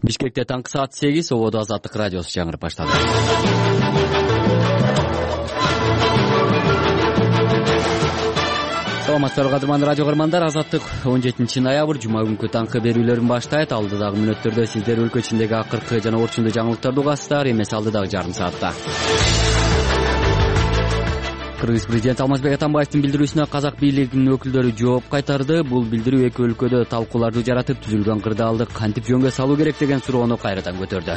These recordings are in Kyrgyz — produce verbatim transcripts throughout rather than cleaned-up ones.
Бишкекте таңкы саат сегиз, Ободо Азаттык радиосу жаңырып баштады. Саламатсыздарбы кадырман радио көрөрмандар, Азаттык он жетинчи ноябрь жума күнкү таңкы берүүлөрүн баштайт. Алдыдагы мүнөттөрдө сиздер өлкө ичиндеги акыркы жана орчундуу жаңылыктарды угасыздар, эмес алдыдагы жарым саатта. Кыргыз президенти Алмазбек Атамбаевдин билдирүүсүнө казак бийлигинин өкүлдөрү жооп кайтарды. Бул билдирүү эки өлкөдө талкууларды жаратып, түзүлгөн кырдаалды кантип жөнгө салуу керек деген суроону кайрадан көтөрдү.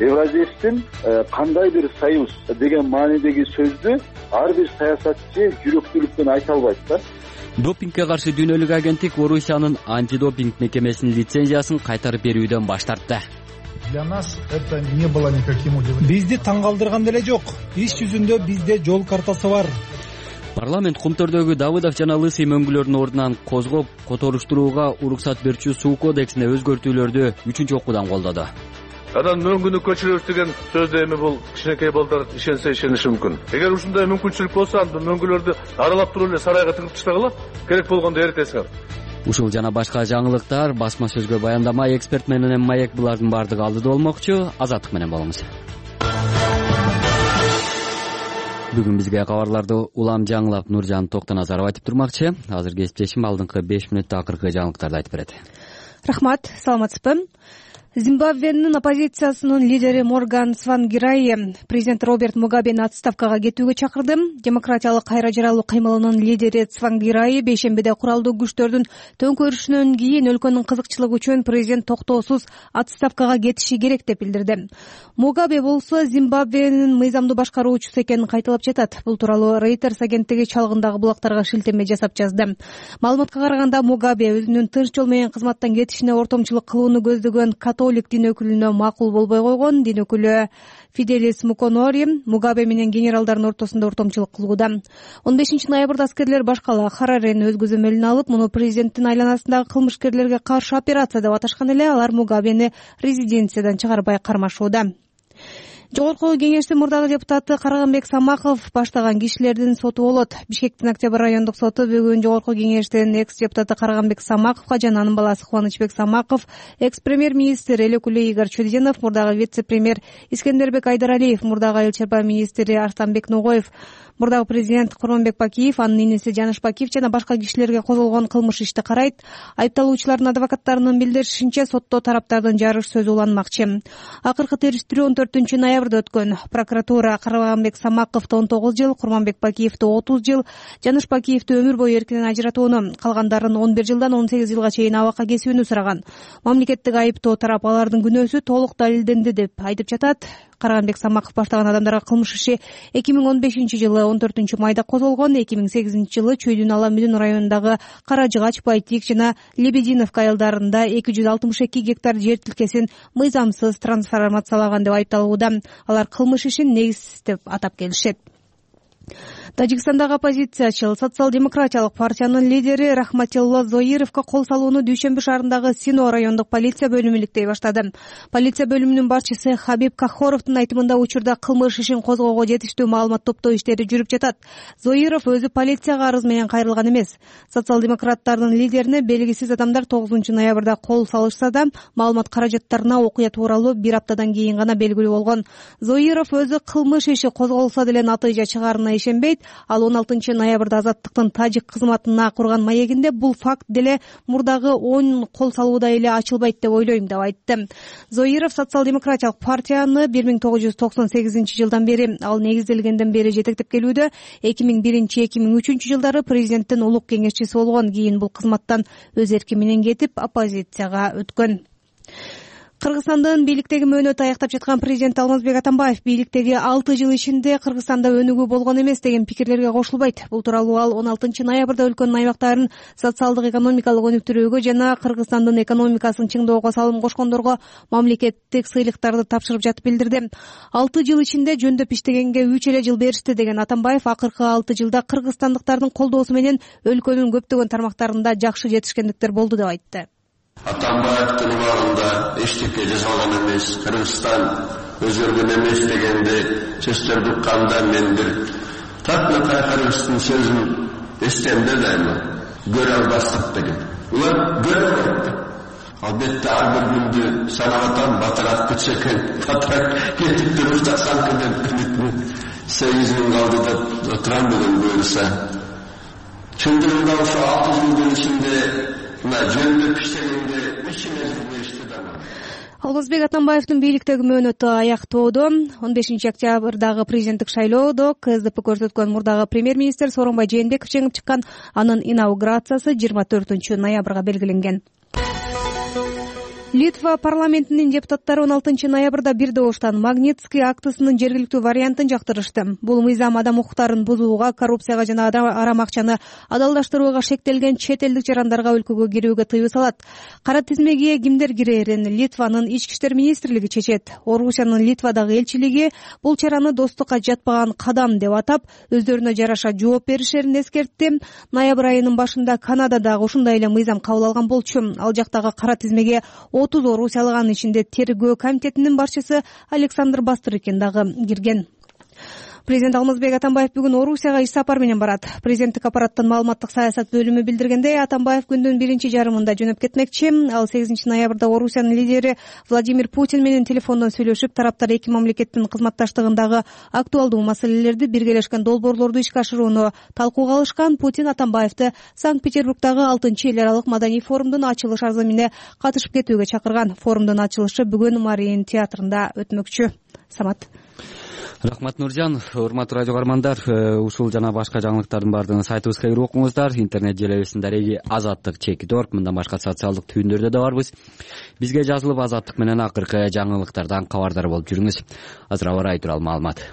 Евразиялыктын кандайдыр союз деген маанидеги сөздү ар бир саясатчы жүрөктүүлүктөн айта албайт да. Допингге каршы дүйнөлүк агенттик Орусиянын антидопинг мекемесинин лицензиясын кайтарып берүүдөн баш тартты. Для нас это не было никаким удивлением. Бизди таң калтырган деле жок. Иш жүзүндө бизде жол картасы бар. Парламент Кумтөрдөгү Давыдов жана Лысый мөңгүлөрдүн ордунан козгоп которуштурууга уруксат берүүчү суу кодексине өзгөртүүлөрдү үчүнчү окуудан колдоду. Анан мөңгүнү көчүрөбүз деген сөздө эми бул кичинекей балдар ишенсе ишениши мүмкүн. Эгер ушундай мүмкүнчүлүк болсо, анда мөңгүлөрдү аралап туруп эле сарайга тыгып таштагыла. Керек болгондо эритесиңер. Ушул жана башка жаңылыктар басма сөзгө баяндама, эксперт менен маек булардын бардыгы алдыда болмокчу. Азаттык менен болуңуз. Бүгүн бизге кабарларды улам жаңылап Нуржан Токтоназаров айтып турмакчы. Азыр кесиптешим алдыңкы беш мүнөттө акыркы жаңылыктарды айтып берет. Рахмат, саламатсызбы? Зимбабвенин оппозициясынын лидери Морган Цвангирай президент Роберт Мугабени отставкага кетүүгө чакырды. Демократиялык кайра жаралуу кыймылынын лидери Цвангирай бейшембиде куралдуу күчтөрдүн төңкөрүшүнөн кийин өлкөнүн кызыкчылыгы үчүн президент токтоосуз отставкага кетиши керек деп билдирди. Мугабе болсо Зимбабвенин мыйзамдуу башкаруучусу экенин кайталап жатат. Бул тууралуу Reuters агенттиги чалгындагы булактарга шилтеме жасап жазды. Маалыматка караганда Мугабе өзүнүн тынч жол менен кызматтан кетишине ортомчулук кылууну көздөгөн католик дин өкүлүнө макул болбой койгон. Дин өкүлү Фиделис Муконори Мугабе менен генералдардын ортосунда ортомчулук кылууда. он бешинчи ноябрда аскерлер баш кала Харарени өз көзөмөлүнө алып, муну президенттин айланасындагы кылмышкерлерге каршы операция деп аташкан эле. Алар Мугабени резиденциядан чыгарбай кармашууда. Жогорку кеңештин мурдагы депутаты Караганбек Самаков баштаган кишилердин соту болот. Бишкектин Октябрь райондук соту бүгүн жогорку кеңештин экс-депутаты Караганбек Самаковго жана анын баласы Кубанычбек Самаков, экс-премьер-министр эл өкүлү Игорь Чудинов, мурдагы вице-премьер Искендербек Айдаралиев, мурдагы айыл чарба министри Арстанбек Ногоев, мурдагы президент Курманбек Бакиев, анын иниси Жаныш Бакиев жана башка кишилерге козголгон кылмыш ишти карайт. Айыпталуучулардын адвокаттарынын билдиришинче, сотто тараптардын жарыш сөзү уланмакчы. Акыркы териштирүү он төртүнчү ноябрда өткөн. Прокуратура Караганбек Самаковду он тогуз жыл, Курманбек Бакиевди отуз жыл, Жаныш Бакиевди өмүр бою эркинен ажыратууну, калгандарын он бир жылдан он сегиз жылга чейин абакка кесүүнү сураган. Мамлекеттик айыптоо тарап алардын күнөөсү толук далилденди деп айтып жатат. Караганбек Самаков баштаган адамдарга кылмыш иши эки миң он бешинчи жылы он төртүнчү майда козголгон. эки миң сегизинчи жылы Чүйдүн Ала Мүдүн районундагы Кара Жыгач, Байтик жана Лебединовка айылдарында эки жүз алтымыш эки гектар жер тилкесин мыйзамсыз трансформациялаган деп айыпталууда. Алар кылмыш ишин негизсиз деп атап келишет. Тажикстандагы оппозициячыл социал-демократиялык партиянын лидери Рахматилла Зоировго кол салууну Дүйшөмбү шаарындагы Сино райондук полиция бөлүмү иликтей баштады. Полиция бөлүмүнүн башчысы Хабиб Кахоровдун айтымында учурда кылмыш ишин козгоого жетиштүү маалымат топтоо иштери жүрүп жатат. Зоиров өзү полицияга арыз менен кайрылган эмес. Социал-демократтардын лидерине белгисиз адамдар тогузунчу ноябрда кол салышса да, маалымат каражаттарына окуя тууралуу бир аптадан кийин гана белгилүү болгон. Зоиров өзү кылмыш иши козголсо деле натыйжа чыгаарына ишенбейт. Ал он алтынчы ноябрда Азаттыктын тажик кызматына курган маегинде бул факт деле мурдагы он кол салууда эле ачылбайт деп ойлойм деп айтты. Зоиров социал-демократиялык партияны бир миң тогуз жүз токсон сегизинчи жылдан бери, ал негизделгенден бери жетектеп келүүдө. эки миң биринчи эки миң үчүнчү жылдары президенттин улук кеңешчиси болгон. Кийин бул кызматтан өз эрки менен кетип, оппозицияга өткөн. Кыргызстандын бийликтеги мөөнөтү аяктап жаткан президент Алмазбек Атамбаев бийликтеги алты жыл ичинде Кыргызстанда өнүгүү болгон эмес деген пикирлерге кошулбайт. Бул тууралуу ал он алтынчы ноябрда өлкөнүн аймактарын социалдык экономикалык өнүктүрүүгө жана Кыргызстандын экономикасын чыңдоого салым кошкондорго мамлекеттик сыйлыктарды тапшырып жатып билдирди. алты жыл ичинде жөндөп иштегенге үч эле жыл беришти деген Атамбаев акыркы алты жылда кыргызстандыктардын колдоосу менен өлкөнүн көптөгөн тармактарында жакшы жетишкендиктер болду деп айтты. Атамбаевдин убагында эчтеке жасалган эмес, Кыргызстан өзгөргөн эмес дегенде сөздөрдү укканда мен бир татнакай Кыргыздын сөзүн эстемде дайыма. Көрө албастык деген. Улар көрө албайт. Албетте ар бир күндү санап атам, батыраак кетсе экен, батыраак кетип туруп чаксам деп сегиз миң калды деп отурам бүгүн буюрса. Чындыгында ошо алты жылдын ичинде мына жөндөп иштегенде үч мезгил ишти да. Алмазбек Атамбаевдин бийликтеги мөөнөтү аяктоодо. он бешинчи октябрдагы президенттик шайлоодо КСДП көрсөткөн мурдагы премьер-министр Сооронбай Жээнбеков жеңип чыккан. Анын инаугурациясы жыйырма төртүнчү ноябрга белгиленген. Литва парламентинин депутаттары он алтынчы ноябрда бир добуштан Магнитский актысынын жергиликтүү вариантын жактырышты. Бул мыйзам адам укуктарын бузууга, коррупцияга жана арам акчаны адалдаштырууга шектелген чет элдик жарандарга өлкөгө кирүүгө тыюу салат. Кара тизмеге кимдер кирээрин Литванын ички иштер министрлиги чечет. Орусиянын Литвадагы элчилиги бул чараны достукка жатпаган кадам деп атап, өздөрүнө жараша жооп беришерин эскертти. Ноябрь айынын башында Канададагы ушундай эле мыйзам кабыл алган болчу. Ал жактагы кара тизмеге отуз орусиялык, анын ичинде тергөө комитетинин башчысы Александр Бастрыкин дагы кирген. Президент Алмазбек Атамбаев бүгүн Орусияга иш сапар менен барат. Президенттик аппараттын маалыматтык саясат бөлүмү билдиргендей, Атамбаев күндүн биринчи жарымында жөнөп кетмекчи. Ал сегизинчи ноябрда Орусиянын лидери Владимир Путин менен телефондон сүйлөшүп, тараптар эки мамлекеттин кызматташтыгындагы актуалдуу маселелерди, биргелешкен долбоорлорду ишке ашырууну талкууга алышкан. Путин Атамбаевди Санкт-Петербургдагы алтынчы эл аралык маданий форумдун ачылыш азымине катышып кетүүгө чакырган. Форумдун ачылышы бүгүн Мариин театрында өтмөкчү. Самат. Рахмат, Нуржан. Урматтуу радио каармандар, ушул жана башка жаңылыктардын баардыгын сайтыбызга кирип окуңуздар. Интернет желебиздин дареги азаттык чекит точка орг, мындан башка социалдык түйүндөрдө да барбыз. Бизге жазылып азаттык менен акыркы жаңылыктардан кабардар болуп жүрүңүз. Азыр аба ырайы тууралуу маалымат.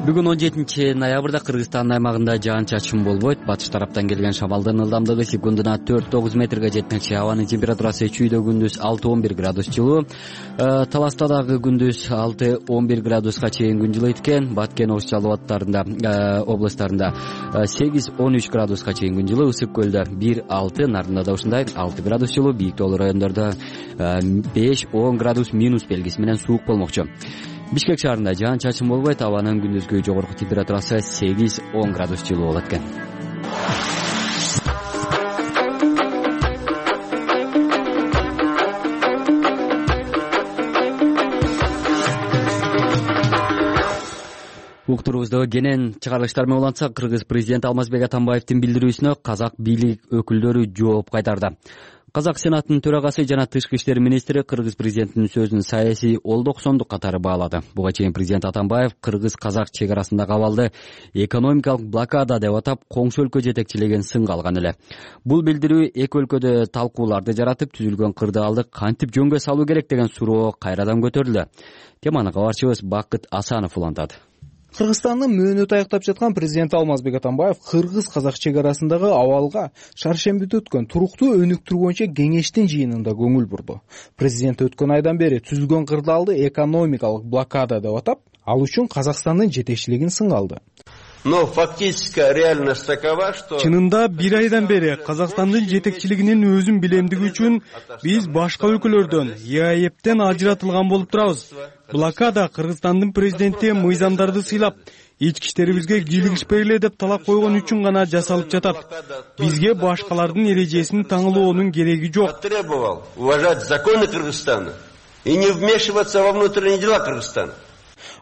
Бүгүн он жетинчи ноябрда Кыргызстандын аймагында жаан-чачын болбойт. Батыш тараптан келген шамалдын ылдамдыгы секундуна төрт тогуз метрге жетмекчи. Абанын температурасы чүйдө күндүз алты он бир градус жылуу. Таласта дагы күндүз алты он бир градуска чейин күн жылыйт экен. Баткен, Ош Жалал абаддарында областарында сегиз он үч градуска чейин күн жылуу. Ысык көлдө бир алты, Нардында да ушундай алты градус жылуу. Бийик тоолуу райондордо беш он градус минус белгиси менен суук болмокчу. Бишкек шаарында жаан-чачын болбойт. Абанын күндүзгү жогорку температурасы сегиз он градус жылуу болот экен. Уктурубузда кенен чыгарылыштар менен улантсак, Кыргыз президенти Алмазбек Атамбаевдин билдирүүсүнө казак бийлик өкүлдөрү жооп кайтарды. Казак сенатынын төрагасы жана тышкы иштер министри Кыргыз президентинин сөзүн саясий олдоксондук катары баалады. Буга чейин президент Атамбаев кыргыз-казак чек арасындагы абалды экономикалык блокада деп атап, коңшу өлкө жетекчилеген сынга алган эле. Бул билдирүү эки өлкөдө талкууларды жаратып, түзүлгөн кырдаалды кантип жөнгө салуу керек деген суроо кайрадан көтөрүлдү. Теманы кабарчыбыз Бакыт Асанов улантат. Кыргызстандын мөөнөтү аяктап жаткан президент Алмазбек Атамбаев кыргыз-казак чек арасындагы абалга шаршембиде өткөн туруктуу өнүктүрүү боюнча кеңештин жыйынында көңүл бурду. Президент өткөн айдан бери түзүлгөн кырдаалды экономикалык блокада деп атап, ал үчүн Казакстандын жетекчилигин сынга алды. Но фактическая реальность такова, что чынында бир айдан бери Казакстандын жетекчилигинин өзүн билемдиги үчүн биз башка өлкөлөрдөн Е А Е П'тен ажыратылган болуп турабыз. Блокада Кыргызстандын президенти мыйзамдарды сыйлап, ички иштерибизге кийлигишпей эле деп талап койгон үчүн гана жасалып жатат. Бизге башкалардын эрежесин таңылоонун кереги жок. Требовал уважать законы Кыргызстана и не вмешиваться во внутренние дела Кыргызстана.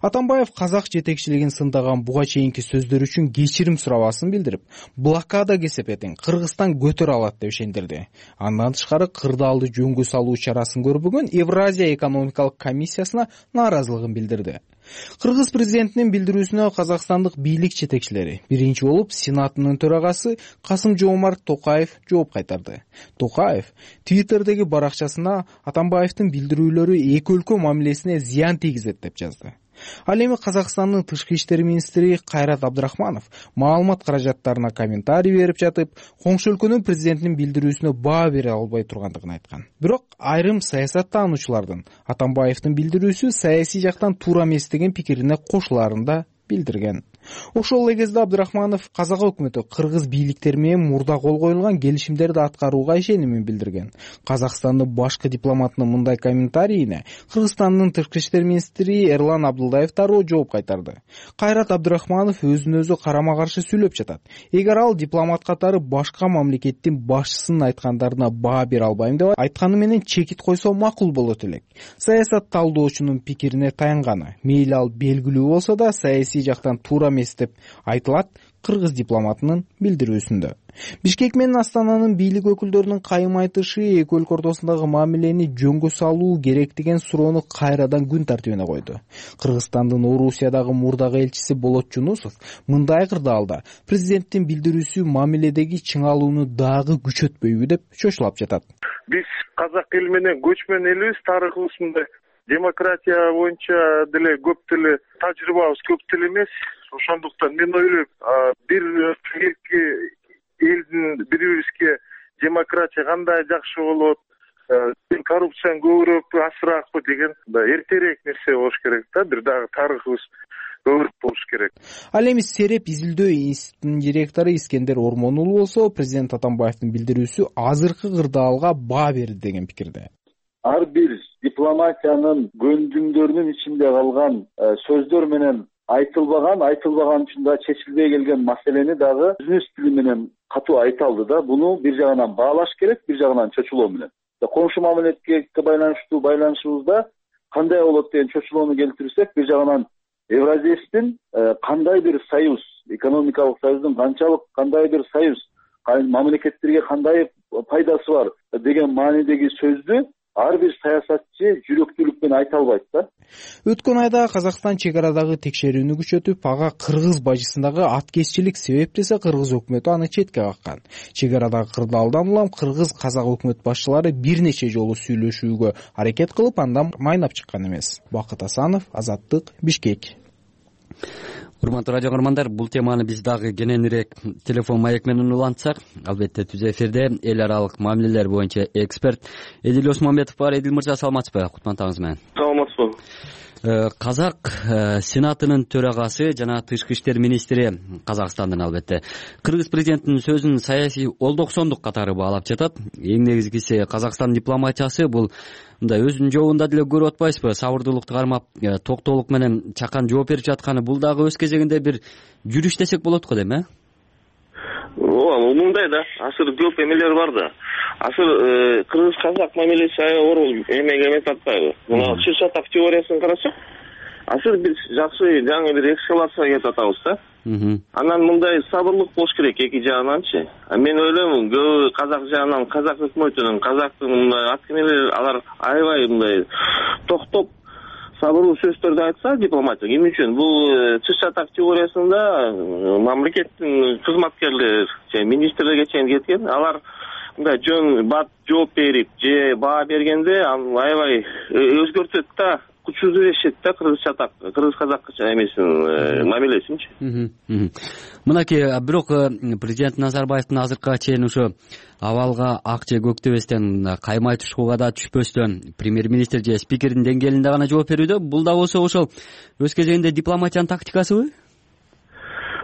Атамбаев казак жетекчилигин сындаган буга чейинки сөздөр үчүн кечирим сурабасын билдирип, блокада кесепетин Кыргызстан көтөрө алат деп ишендирди. Андан тышкары кырдаалды жөнгө салуу чарасын көрбөгөн Евразия экономикалык комиссиясына нааразылыгын билдирди. Кыргыз президентинин билдирүүсүнө казакстандык бийлик жетекчилери, биринчи болуп Сенатынын төрагасы Касым-Жомарт Токаев жооп кайтарды. Токаев Твиттердеги баракчасына Атамбаевдин билдирүүлөрү эки өлкө мамилесине зыян тийгизет деп жазды. Ал эми Казакстандын тышкы иштер министри Кайрат Абдрахманов маалымат каражаттарына комментарий берип жатып, коңшу өлкөнүн президентинин билдирүүсүнө баа бере албай тургандыгын айткан. Бирок айрым саясаттануучулардын Атамбаевдин билдирүүсү саясий жактан туура эмес деген пикирине кошулаарын да билдирген. Ошол эле кезде Абдрахманов казак өкмөтү кыргыз бийликтери менен мурда кол коюлган келишимдерди аткарууга ишенимин билдирген. Казакстандын башкы дипломатынын мындай комментарийине Кыргызстандын тышкы иштер министри Эрлан Абдылдаев дароо жооп кайтарды. Кайрат Абдрахманов өзүн өзү карама каршы сүйлөп жатат. Эгер ал дипломат катары башка мамлекеттин башчысынын айткандарына баа бере албайм деп айтканы менен чекит койсо макул болот элек. Саясат талдоочунун пикирине таянганы, мейли ал белгилүү болсо да саясий жактан туура эмес деп айтылат кыргыз дипломатынын билдирүүсүндө. Бишкек менен Астананын бийлик өкүлдөрүнүн кайым айтышы эки өлкө ортосундагы мамилени жөнгө салуу керек деген суроону кайрадан күн тартибине койду. Кыргызстандын Орусиядагы мурдагы элчиси Болот Жунусов мындай кырдаалда президенттин билдирүүсү мамиледеги чыңалууну дагы күчөтпөйбү деп чочулап жатат. Биз казак эли менен көчмөн элибиз, тарыхыбыз мындай демократия боюнча деле көп деле тажрыйбабыз көп деле эмес. Ошондуктан мен ойлойм, бир эки элдин бири бирибизге демократия кандай жакшы болот, коррупцияны көбүрөөкпү, азыраакпы деген эртерээк нерсе болуш керек да, бир дагы тарыхыбыз көбүрөөк болуш керек. Ал эми Сереп изилдөө институтунун директору Искендер Ормон уулу болсо, президент Атамбаевдин билдирүүсү азыркы кырдаалга баа берди деген пикирде. Ар бир дипломатиянын көндүмдөрүнүн ичинде калган сөздөр менен айтылбаган, айтылбаган үчүн да чечилбей келген маселени дагы бизнес тили менен катуу айта алды да. Буну бир жагынан баалаш керек, бир жагынан чочулоо менен. Коңшу мамилетке байланыштуу байланышыбызда кандай болот деген чочулоону келтирсек, бир жагынан Евразиядын кандай бир союз, экономикалык союздун канчалык кандай бир союз, мамлекеттерге кандай пайдасы бар деген маанидеги сөздү ар бир саясатчы жүрөктүүлүк менен айта албайт да. Өткөн айда Казакстан чек арадагы текшерүүнү күчөтүп, ага кыргыз бажысындагы аткезчилик себеп десе, кыргыз өкмөтү аны четке каккан. Чек арадагы кырдаалдан улам кыргыз казак өкмөт башчылары бир нече жолу сүйлөшүүгө аракет кылып, андан майнап чыккан эмес. Бакыт Асанов, Азаттык, Бишкек. Урматтуу радио көрөрмандар, бул теманы биз дагы кененирээк телефон маек менен улантсак, албетте түз эфирде эл аралык мамилелер боюнча эксперт Эдил Осмонбетов бар. Эдил мырза, саламатсызбы? Кутмандыгыңыз менен. Саламатсызбы. Казак сенатынын төрагасы жана тышкы иштер министри Казакстандын албетте кыргыз президентинин сөзүн саясий олдоксондук катары баалап жатат. Эң негизгиси Казакстан дипломатиясы бул мындай өзүнүн жобунда деле көрүп атпайсызбы? Сабырдуулукту кармап, токтоолук менен чакан жооп берип жатканы, бул дагы өз кезегинде бир жүрүш десек болот го дейм, э? Ооба, мындай да, азыр көп эмелер бар да. Азыр кыргыз казак мамилеси аябай оор эмеге эмес атпайбы? Мына чыр-чатак теориясын карасак, азыр биз жакшы жаңы бир эскалацияга кетип атабыз да. Анан мындай сабырлык болуш керек эки жагынанчы. Мен ойлойм, көбү казак жагынан, казак өкмөтүнүн, казактын мындай аткенелер алар аябай мындай токтоп сабырлуу сөздөрдү айтса дипломатия. Эмне үчүн? Бул чыр-чатак теориясында мамлекеттин кызматкерлери, министрлерге чейин кеткен, алар мындай жөн бат жооп берип же баа бергенде аябай өзгөртөт да, күчсүздөшөт да кыргыз чатак, кыргыз казак эмесин мамилесинчи. Мынакей, бирок президент Назарбаевдин азыркыга чейин ошо абалга ак же көк дебестен, каймай тушкуга да түшпөстөн премьер-министр же спикердин деңгээлинде гана жооп берүүдө. Бул да болсо ошол өз кезегинде дипломатиянын тактикасыбы?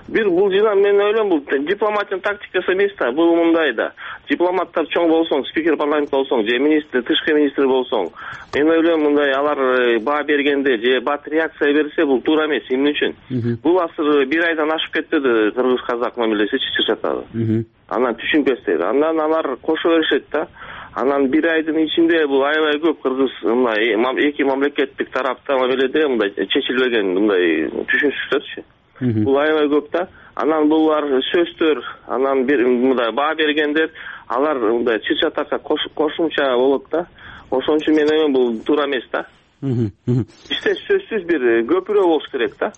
Бир бул жана мен ойлойм, бул дипломатиянын тактикасы эмес да, бул мындай да. Дипломаттар чоң болсоң, спикер парламент болсоң, же министр, тышкы министр болсоң, мен ойлойм мындай алар баа бергенде же бат реакция берсе, бул туура эмес. Эмне үчүн? Бул азыр бир айдан ашып кетти кыргыз казак мамилеси чыр-чатагы. Анан түшүнбөстөр. Андан алар кошо беришет да. Анан бир айдын ичинде бул аябай көп кыргыз мындай эки мамлекеттик тарапта мамиледе мындай чечилбеген мындай түшүнүшсүздөрчү. Бул аябай көп да. Анан булар сөздөр, анан бир мындай баа бергендер, алар мындай чыр-чатакка кошумча болот да. Ошон үчүн мен ойлойм, бул туура эмес да. Бизде сөзсүз бир көпүрө болуш керек да.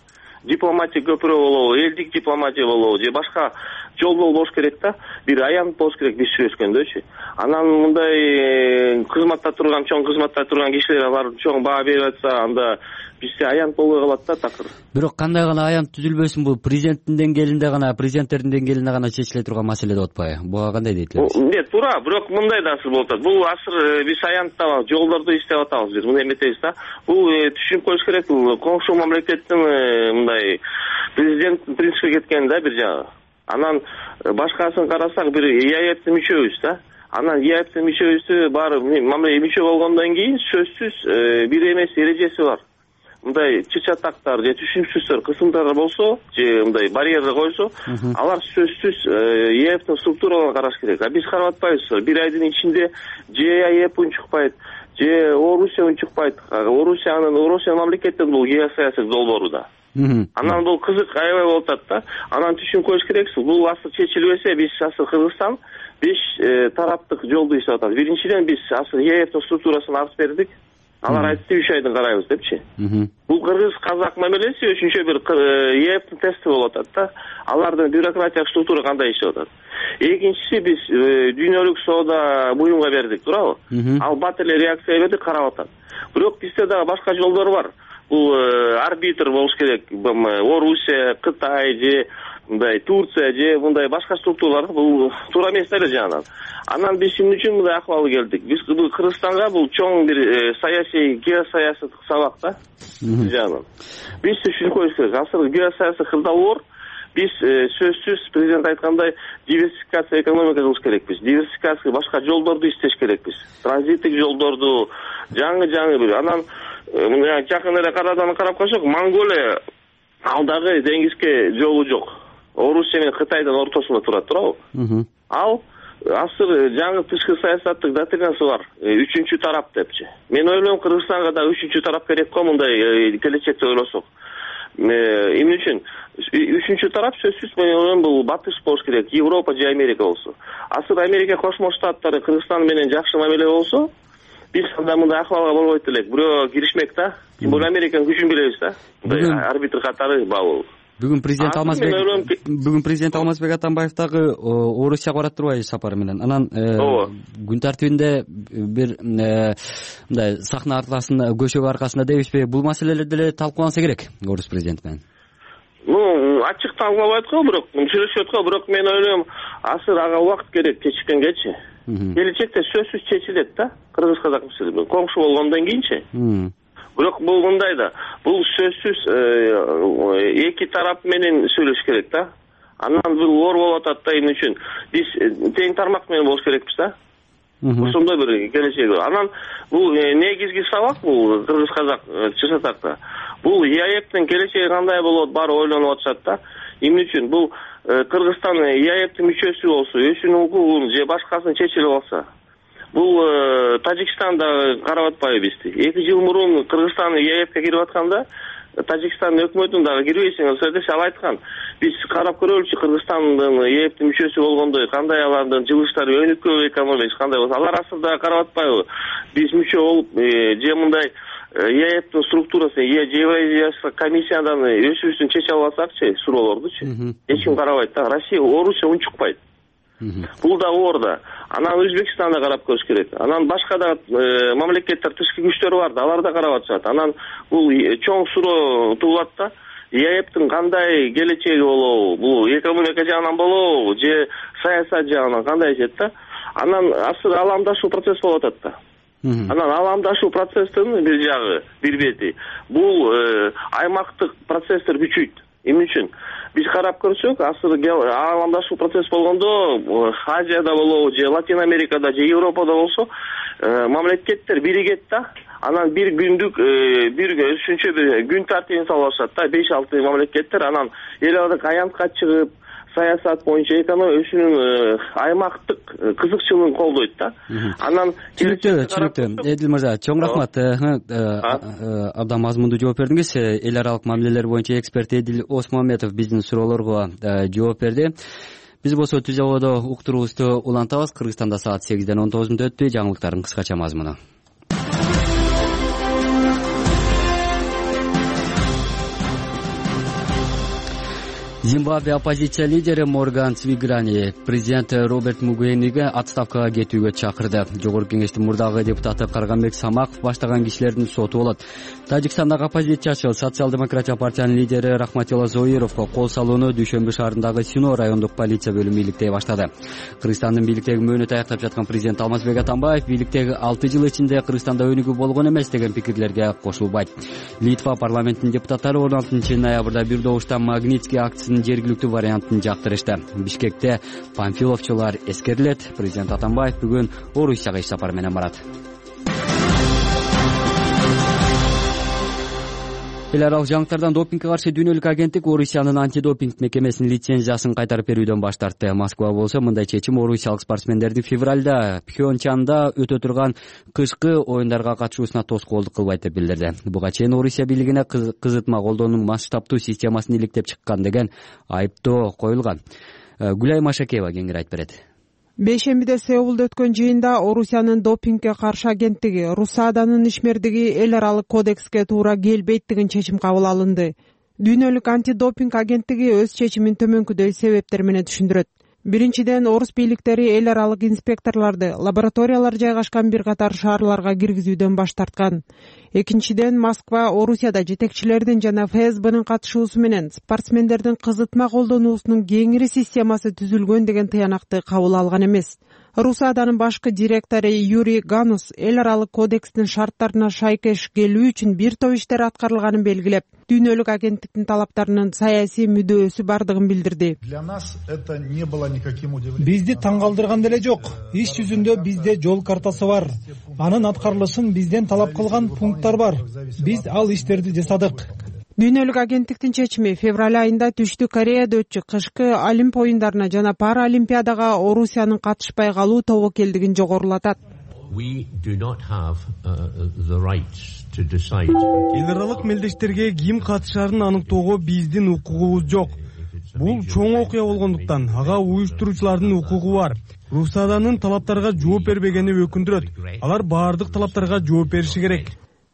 Дипломатия көпүрө болобу, элдик дипломатия болобу же башка жолдол болуш керек да. Бир аянт болуш керек биз сүйлөшкөндөчү. Анан мындай кызматта турган, чоң кызматта турган кишилер алар чоң баа берип атса, анда бизде аянт болбой калат да такыр. Бирок кандай гана аянт түзүлбөсүн, бул президенттин деңгээлинде гана, президенттердин деңгээлинде гана чечиле турган маселе деп атпайбы? Буга кандай дейт элеңиз? Нет, туура, бирок мындай да болуп атат. Бул азыр биз аянтта жолдорду иштеп атабыз, биз муну эметебиз да. Бул түшүнүп коюш керек, бул коңшу мамлекеттин мындай президенттин принципке кеткен да бир жагы. Анан башкасын карасак бир ИАЭПтин мүчөбүз да. Анан ИАЭПтин мүчөбүзү баары мамиле мүчө болгондон кийин сөзсүз бир эмес эрежеси бар. Мындай чычатактар же түшүнүксүздөр, кысымдар болсо, же мындай барьерлер койсо, алар сөзсүз ИАЭПтин структураларын караш керек. А биз карап атпайбыз. Бир айдын ичинде же ИАЭП унчукпайт, же Орусия унчукпайт. Орусиянын Орусия мамлекеттин бул геосаясий долбоору да. Анан бул кызык аябай болуп атат да. Анан түшүнүп коюш керексиз. Бул асыл чечилбесе, биз асыл Кыргызстан беш тараптык жолду иштеп атат. Биринчиден биз асыл ИАЭПтин структурасын артып бердик. Алар айтты үч айдан карайбыз депчи. Бул кыргыз-казак мамилеси үчүнчү бир ИАЭПтин тести болуп атат да. Алардын бюрократиялык структура кандай иштеп атат. Экинчиси биз дүйнөлүк соода буюмга бердик, туурабы? Ал бат эле реакция берди, карап атат. Бирок бизде дагы башка жолдор бар. Бул арбитр болуш керек. Орусия, Кытай же мындай Турция же мындай башка структуралар бул туура эмес эле жанагынан. Анан биз эмне үчүн мындай акыбалга келдик? Биз бул Кыргызстанга бул чоң бир саясий, геосаясий сабак да. Жанагынан. Биз түшүнүп коюш керек. Азыр геосаясий кырдаалор биз сөзсүз президент айткандай диверсификация экономика кылыш керекпиз. Диверсификация башка жолдорду иштеш керекпиз. Транзиттик жолдорду жаңы-жаңы бир. Анан мына жакын эле карадан карап койсок, Монголия ал дагы деңизге жолу жок. Орусия менен Кытайдын ортосунда турат, туурабы? Ал азыр жаңы тышкы саясаттык доктринасы бар. Үчүнчү тарап депчи. Мен ойлойм, Кыргызстанга да үчүнчү тарап керек го, мындай келечекте ойлосок. Эмне үчүн? Үчүнчү тарап сөзсүз мен ойлойм бул батыш болуш керек, Европа же Америка болсо. Азыр Америка Кошмо Штаттары Кыргызстан менен жакшы мамиле болсо, биз анда мындай акыбалга болбойт элек. Бирөө киришмек да. Тим более Американын күчүн билебиз да. Мындай арбитр катары бабыл. Бүгүн президент Алмазбек бүгүн президент Алмазбек Атамбаев дагы Орусияга барат турбайбы сапары менен. Анан күн тартибинде бир мындай сахна аркасында, көшөгө аркасында дебишпи, бул маселелер деле талкууланса керек орус президенти менен. Ну, ачык талкуулабайт го, бирок сүйлөшөт го, бирок мен ойлойм, азыр ага убакыт керек, кечиккенгечи. Келечекте сөзсүз чечилет да, кыргыз-казак маселеси. Коңшу болгондон кийинчи. Бирок бул мындай да, бул сөзсүз эки тарап менен сүйлөш керек да. Анан бул оор болуп атат да, эмне үчүн? Биз тең тармак менен болуш керекпиз да. Ошондой бир келечеги бар. Анан бул негизги сабак бул кыргыз-казак чычатакта. Бул ИАЭПтин келечеги кандай болот, баары ойлонуп атышат да. Эмне үчүн? Бул Кыргызстан ИАЭПтин мүчөсү болсо, өзүнүн укугун же башкасын чечилип алса, бул Тажикстанда карап атпайбы бизди. эки жыл мурун Кыргызстан ИАЭПке кирип атканда, Тажикстандын өкмөтүн дагы кирбейсиң, сөздөш ал айткан. Биз карап көрөлүчү Кыргызстандын ИАЭПтин мүчөсү болгондой, кандай алардын жылыштары, өнүккөн экономикасы кандай болсо, алар асылда карап атпайбы? Биз мүчө болуп, же мындай ИАЭПтин структурасын, же Евразиялык комиссиядан өзүбүздүн чече албасакчы, суроолордучу. Эч ким карабайт да. Россия, Орусия унчукпайт. Бул да оор да. Анан Өзбекстанда карап көрүш керек. Анан башка да мамлекеттер, тышкы күчтөр бар да, алар да карап атышат. Анан бул чоң суроо туулат да. ИАЭПтин кандай келечеги болобу? Бул экономика жагынан болобу, же саясат жагынан кандай ишет да? Анан азыр аламдашуу процесс болуп атат да. Анан аламдашуу процесстин бир жагы, бир бети. Бул аймактык процесстер күчөйт. Эмне үчүн? Биз карап көрсөк, азыр аламдашуу процесс болгондо, Азияда болобу, же Латин Америкада, же Европада болсо, мамлекеттер биригет да. Анан бир күндүк, бир үшүнчү бир күн тартибин салышат да, беш алты мамлекеттер. Анан эл аралык аянтка чыгып, саясат боюнча экономия өзүнүн аймактык кызыкчылыгын колдойт да. Анан түшүнүктүү, түшүнүктүү. Эдил мырза, чоң рахмат. Абдан мазмундуу жооп бердиңиз. Эл аралык мамилелер боюнча эксперт Эдил Осмонметов биздин суроолорго жооп берди. Биз болсо түз абада уктуруубузду улантабыз. Кыргызстанда саат сегизден он тогуз мүнөт өттү. Жаңылыктардын кыскача мазмуну. Зимбабве оппозиция лидери Морган Цвиграни президент Роберт Мугабени отставкага кетүүгө чакырды. Жогорку кеңештин мурдагы депутаты Карганбек Самаков баштаган кишилердин соту болот. Тажикстандагы оппозициячы социал-демократия партиянын лидери Рахматилла Зоировго кол салууну Дүйшөмбү шаарындагы Сино райондук полиция бөлүмү иликтей баштады. Кыргызстандын бийликтеги мөөнөтү аяктап жаткан президент Алмазбек Атамбаев бийликтеги алты жыл ичинде Кыргызстанда өнүгүү болгон эмес деген пикирлерге кошулбайт. Литва парламентинин депутаттары он алтынчы ноябрда бир добуштан Магнитский акциясынын жергиликтүү вариантын жактырышты. Бишкекте панфиловчулар эскерилет. Президент Атамбаев бүгүн Орусияга иш сапар менен барат. Эл аралык жаңылыктардан допингге каршы дүйнөлүк агенттик Орусиянын антидопинг мекемесинин лицензиясын кайтарып берүүдөн баш тартты. Москва болсо мындай чечим орусиялык спортсмендерди февралда Пхенчанда өтө турган кышкы оюндарга катышуусуна тоскоолдук кылбайт деп билдирди. Буга чейин Орусия бийлигине кызытма колдоонун масштабтуу системасын иликтеп чыккан деген айыптоо коюлган. Гүлай Машакеева кеңири айтып берет. Бейшембиде Сеулда өткөн жыйында Орусиянын допингге каршы агенттиги Русаданын ишмердиги эл аралык кодекске туура келбейт деген чечим кабыл алынды. Дүйнөлүк антидопинг агенттиги өз чечимин төмөнкүдөй себептер менен түшүндүрөт. Биринчиден, орус бийликтери эл аралык инспекторлорду лабораториялар жайгашкан бир катар шаарларга киргизүүдөн баш тарткан. Экинчиден, Москва Орусияда жетекчилердин жана эф эс бнын катышуусу менен спортсмендердин кызытма колдонуусунун кеңири системасы түзүлгөн деген тыянакты кабыл алган эмес. Русаданын башкы директору Юрий Ганус эл аралык кодекстин шарттарына шайкеш келүү үчүн бир топ иштер аткарылганын белгилеп, дүйнөлүк агенттиктин талаптарынын саясий мүдөөсү бардыгын билдирди. Бизди таң калтырган деле жок. Иш жүзүндө бизде жол картасы бар. Анын аткарылышын бизден талап кылган пункттар бар. Биз ал иштерди жасадык. Дүйнөлүк агенттиктин чечими февраль айында Түштүк Кореяда өтчү кышкы Олимп оюндарына жана Паралимпиадага Орусиянын катышпай калуу тобокелдигин жогорулатат. Эл аралык мелдештерге ким катышарын аныктоого биздин укугубуз жок. Бул чоң окуя болгондуктан ага уюштуруучулардын укугу бар. Русаданын талаптарга жооп бербегени өкүндүрөт. Алар баардык талаптарга жооп бериши керек,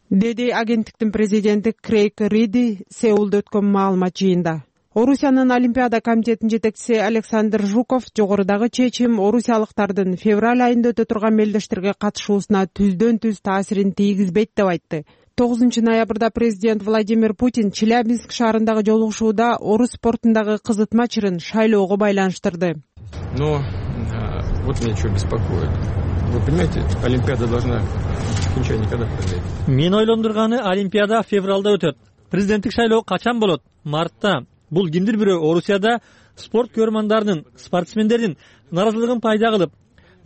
деди агенттиктин президенти Крейг Риди Сеулда өткөн маалымат жыйында. Орусиянын Олимпиада комитетинин жетекчиси Александр Жуков жогорудагы чечим орусиялыктардын февраль айында өтө турган мелдештерге катышуусуна түздөн түз таасирин тийгизбейт деп айтты. тогузунчу ноябрда президент Владимир Путин Челябинск шаарындагы жолугушууда орус спортундагы кызытма чырын шайлоого байланыштырды. Но вот меня что беспокоит. Вы понимаете, Олимпиада должна окончание никогда пройти. Мен ойлондурганы Олимпиада февралда өтөт. Президенттик шайлоо качан болот? Мартта. Бул кимдир бирөө Орусияда спорт көрмандарынын, спортсмендердин наразылыгын пайда кылып,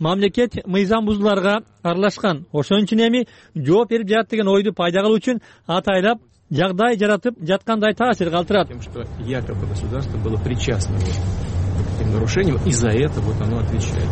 мамлекет мыйзам бузууларга аралашкан. Ошон үчүн эми жооп берип жатат деген ойду пайда кылуу үчүн атайлап жагдай жаратып жаткандай таасир калтырат. Тем, что якобы государство было причастно к этим нарушениям, и за это вот оно отвечает.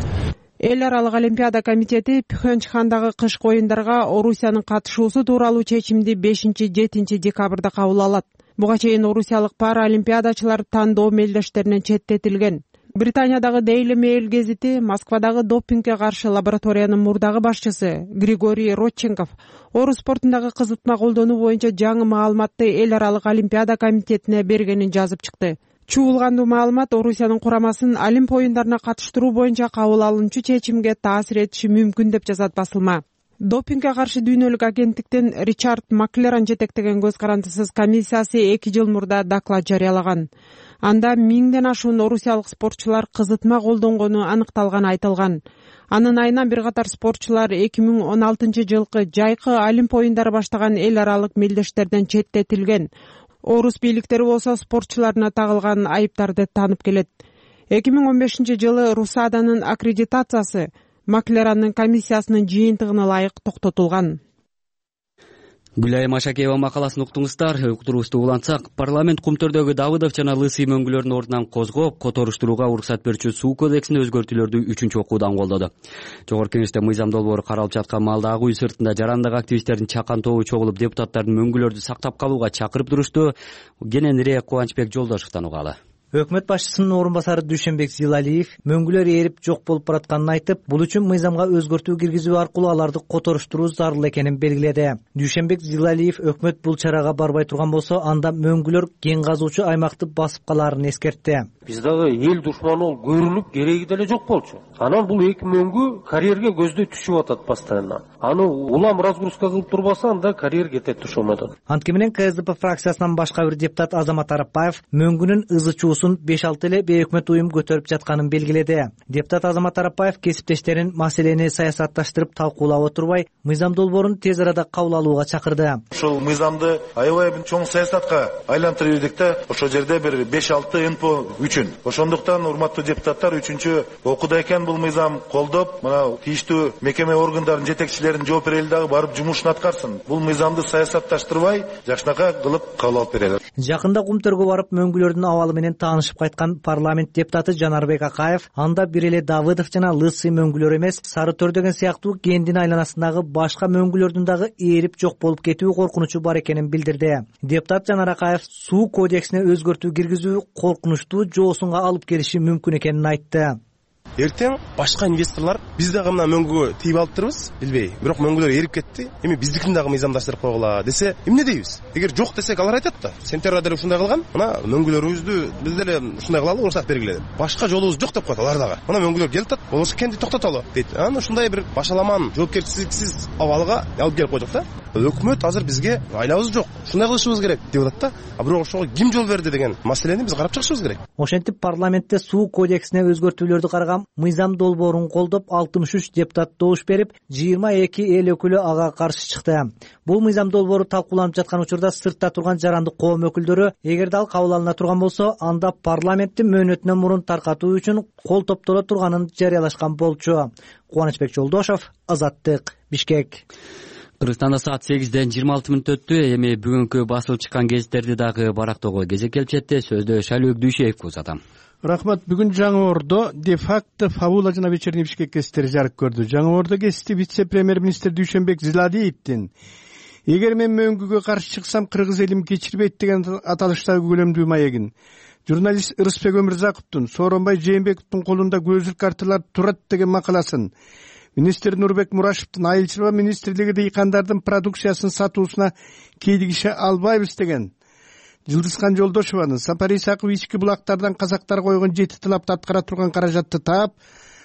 Эл аралык Олимпиада комитети Пхенчхандагы кышкы оюндарга Орусиянын катышуусу тууралуу чечимди бешинчи-жетинчи декабрда кабыл алат. Буга чейин орусиялык паралимпиадачылар тандоо мелдештеринен четтетилген. Британиядагы Daily Mail гезити Москвадагы допингге каршы лабораториянын мурдагы башчысы Григорий Родченков орус спортундагы кызытма колдонуу боюнча жаңы маалыматты эл аралык Олимпиада комитетине бергенин жазып чыкты. Чуулгандуу маалымат Орусиянын курамасын Олимп оюндарына катыштыруу боюнча кабыл алынчу чечимге таасир этиши мүмкүн деп жазат басылма. Допингге каршы дүйнөлүк агенттиктин Ричард Маклеран жетектеген көз карандысыз комиссиясы эки жыл мурда доклад жарыялаган. Анда миңден ашуун орусиялык спортчулар кызытма колдонгону аныкталганы айтылган. Анын айынан бир катар спортчулар эки миң он алтынчы жылкы жайкы Олимп оюндары баштаган эл аралык мелдештерден четтетилген. Орус бийликтери болсо спортчуларына тагылган айыптарды таанып келет. эки миң он бешинчи жылы Русаданын аккредитациясы Маклеранын комиссиясынын жыйынтыгына ылайык токтотулган. Гүлай Машакеева макаласын уктуңуздар. Уктуруубузду улантсак, парламент Кумтөрдөгү Давыдов жана Лысый мөңгүлөрдүн ордунан козгоп, которуштурууга уруксат берүүчү суу кодексине өзгөртүүлөрдү үчүнчү окуудан колдоду. Жогорку кеңеште мыйзам долбоору каралып жаткан маалда ак үй сыртында жарандык активисттердин чакан тобу чогулуп депутаттардын мөңгүлөрдү сактап калууга чакырып турушту. Кененирээк Кубанычбек Жолдошевдон угалы. Өкмөт башчысынын орун басары Дүйшөнбек Зилалиев мөңгүлөр ээрип жок болуп баратканын айтып, бул үчүн мыйзамга өзгөртүү киргизүү аркылуу аларды которуштуруу зарыл экенин белгиледи. Дүйшөнбек Зилалиев өкмөт бул чарага барбай турган болсо, анда мөңгүлөр кен казуучу аймакты басып калаарын эскертти. Биз дагы эл душманы болуп көрүнүп кереги деле жок болчу. Анан бул эки мөңгү карьерге көздөй түшүп атат постоянно. Аны улам разгрузка кылып турбаса, анда карьер кетет ошондон. Анткени менен КСДП фракциясынан башка бир депутат Азамат Арапбаев мөңгүнүн ызы чуусун беш алты эле бейөкмөт уюм көтөрүп жатканын белгиледи. Депутат Азамат Арапбаев кесиптештерин маселени саясатташтырып талкуулап отурбай, мыйзам долбоорун тез арада кабыл алууга чакырды. Ошол мыйзамды аябай чоң саясатка айлантырып ирдик да, ошол жерде бир беш алты эн п о үчүн. Ошондуктан урматтуу депутаттар, үчүнчү окууда экен бул мыйзам колдоп, мына тийиштүү мекеме органдарынын жетекчилерин жооп берели дагы барып жумушун аткарсын. Бул мыйзамды саясатташтырбай, жакшынакай кылып кабыл алып берели. Жакында Кумтөргө барып мөңгүлөрдүн абалы менен таанышып кайткан парламент депутаты Жанарбек Акаев анда бир эле Давыдов жана Лысый мөңгүлөр эмес, Сары Төр деген сыяктуу кендин айланасындагы башка мөңгүлөрдүн дагы ээрип жок болуп кетүү коркунучу бар экенин билдирди. Депутат Жанар Акаев суу кодексине өзгөртүү киргизүү коркунучтуу жоосунга алып келиши мүмкүн экенин айтты. Эртең башка инвесторлор биз дагы мына мөңгүгө тийип алыптырбыз, билбей. Бирок мөңгүлөр эрип кетти. Эми биздикин дагы мыйзамдаштырып койгула десе, эмне дейбиз? Эгер жок десек, алар айтат да. Сентябрда деле ушундай кылган. Мына мөңгүлөрүбүздү биз деле ушундай кылалы, уруксат бергиле деп. Башка жолубуз жок деп коет алар дагы. Мына мөңгүлөр келип атат, болбосо кенди токтотолу дейт. Анан ушундай бир башаламан, жоопкерчиликсиз абалга алып келип койдук да. Өкмөт азыр бизге айлабыз жок, ушундай кылышыбыз керек деп атат да. А бирок ошого ким жол берди деген маселени биз карап чыгышыбыз керек. Ошентип парламентте суу кодексине өзгөртүүлөрдү караган мыйзам долбоорун колдоп алтымыш үч депутат добуш берип, жыйырма эки эл өкүлү ага каршы чыкты. Бул мыйзам долбоору талкууланып жаткан учурда сыртта турган жарандык коом өкүлдөрү, эгерде ал кабыл алына турган болсо, анда парламенттин мөөнөтүнөн мурун таркатуу үчүн кол топтоло турганын жарыялашкан болчу. Кубанычбек Жолдошов, Азаттык, Бишкек. Кыргызстанда саат сегизден жыйырма алты мүнөт өттү. Эми бүгүнкү басылып чыккан гезиттерди дагы барактоого кезек келип жетти. Сөздө Шайлөөк Дүйшеевге узатам. Рахмат. Бүгүн Жаңы Ордо де-факто Фабула жана Вечерний Бишкек гезиттери жарык көрдү. Жаңы Ордо гезити вице-премьер-министр Дүйшөнбек Зилалиевдин "Эгер мен мөңгүгө каршы чыксам, кыргыз элим кечирбейт" деген аталыштагы көлөмдүү маегин журналист Ырысбек Өмүрзаковдун Сооронбай Жээнбековдун колунда көзүлүк карталар турат деген макаласын, министр Нурбек Мурашевдин Айыл чарба министрлиги дыйкандардын продукциясын сатуусуна кейдигише албайбыз деген, Жылдызхан Жолдошованын Сапар Исаков ички булактардан казактар койгон жети талапты аткара турган каражатты таап,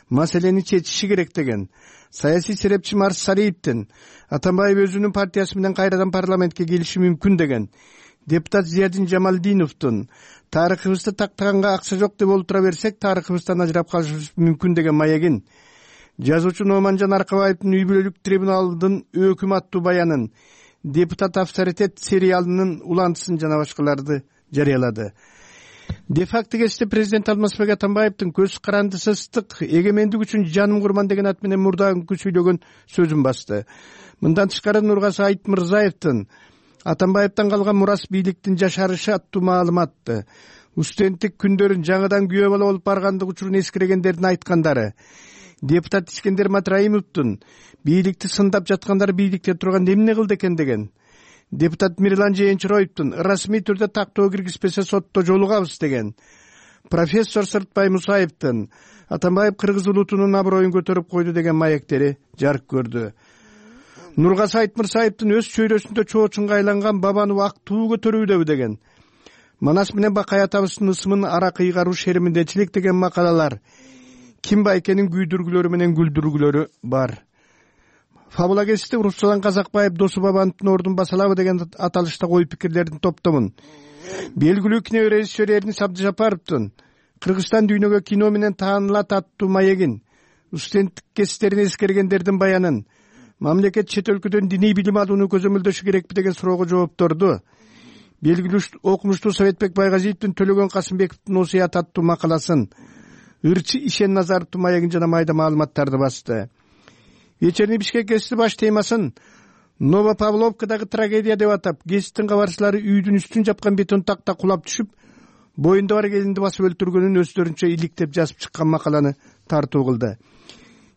маселени чечиши керек деген, саясий серепчи Марс Сариевдин Атамбаев өзүнүн партиясы менен кайрадан парламентке келиши мүмкүн деген, депутат Зиядин Жамалдиновдун тарыхыбызды тактаганга акча жок деп олтура берсек, тарыхыбыздан ажырап калышыбыз мүмкүн деген маегин, жазуучу Номанжан Аркабаевдин үй бүлөлүк трибуналдын өкүм аттуу баянын, депутат авторитет сериалынын улантысын жана башкаларды жарыялады. Де-факто гезити президент Алмазбек Атамбаевдин көз карандысы ыстык, эгемендик үчүн жаным курман деген ат менен мурдагы сүйлөгөн сөзүн басты. Мындан тышкары Нургазы Айтмырзаевдин Атамбаевден калган мурас бийликтин жашарышы аттуу маалыматты, устенттик күндөрүн жаңыдан күйөө бала болуп баргандык учурун эскергендердин айткандары, депутат Искендер Матраимовдун бийликти сындап жаткандар бийликте турган эмне кылды экен деген, депутат Мирлан Жээнчироевдун расмий түрдө тактоо киргизбесе сотто жолугабыз деген, профессор Сыртбай Мусаевдин Атамбаев кыргыз улутунун аброюн көтөрүп койду деген маектери жарык көрдү. Нургазы Айтмырзаевдин өз чөйрөсүндө чоочунга айланган бабаны ак туу көтөрүүдөбү деген, Манас менен Бакай атабыздын ысымын ара кыйгаруу шериминдечилик деген макалалар ким байкенин күйдүргүлөрү менен күлдүргүлөрү бар. Фабула гезити Руслан Казакбаев Досу Бабановдун ордун басалабы деген аталышта ой пикирлердин топтомун. Белгилүү кино режиссер Эрнис Абдыжапаровдун Кыргызстан дүйнөгө кино менен таанылат аттуу маегин, устенттик кестерин эскергендердин баянын, мамлекет чет өлкөдөн диний билим алууну көзөмөлдөшү керекпи деген суроого жоопторду, белгилүү окумуштуу Советбек Байгазиевдин Төлөгөн Касымбековдун Осуят аттуу макаласын, Ырчы Ишен Назаровдун маегин жана майда маалыматтарды басты. Вечерний Бишкек гезити баш темасын Новопавловкадагы трагедия деп атап, гезиттин кабарчылары үйдүн үстүн жапкан бетон такта кулап түшүп, боюнда бар келинди басып өлтүргөнүн өздөрүнчө иликтеп жазып чыккан макаланы тартуу кылды.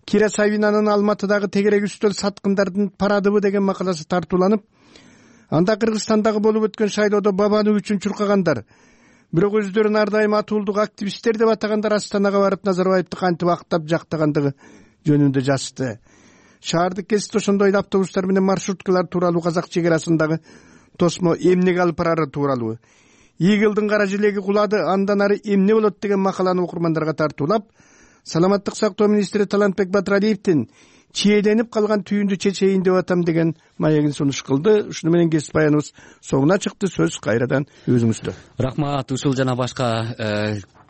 Кира Савинанын Алматыдагы тегерек үстөл саткындардын парадыбы деген макаласы тартууланып, анда Кыргызстандагы болуп өткөн шайлоодо бабаны үчүн чуркагандар, бирок өздөрүн ар дайым атуулдук активисттер деп атагандар Астанага барып Назарбаевди кантип актап жактагандыгы жөнүндө жазды. Шаардык кесипте ошондой эле автобустар менен маршруткалар тууралуу, казак чек арасындагы тосмо эмнеге алып барары тууралуу, Игылдын кара желеги кулады, андан ары эмне болот деген макаланы окурмандарга тартуулап, саламаттык сактоо министри Талантбек Батыралиевдин чиеленип калган түйүндү чечейин деп атам деген маегин сунуш кылды. Ушуну менен кесип баяныбыз соңуна чыкты. Сөз кайрадан өзүңүздө. Рахмат. Ушул жана башка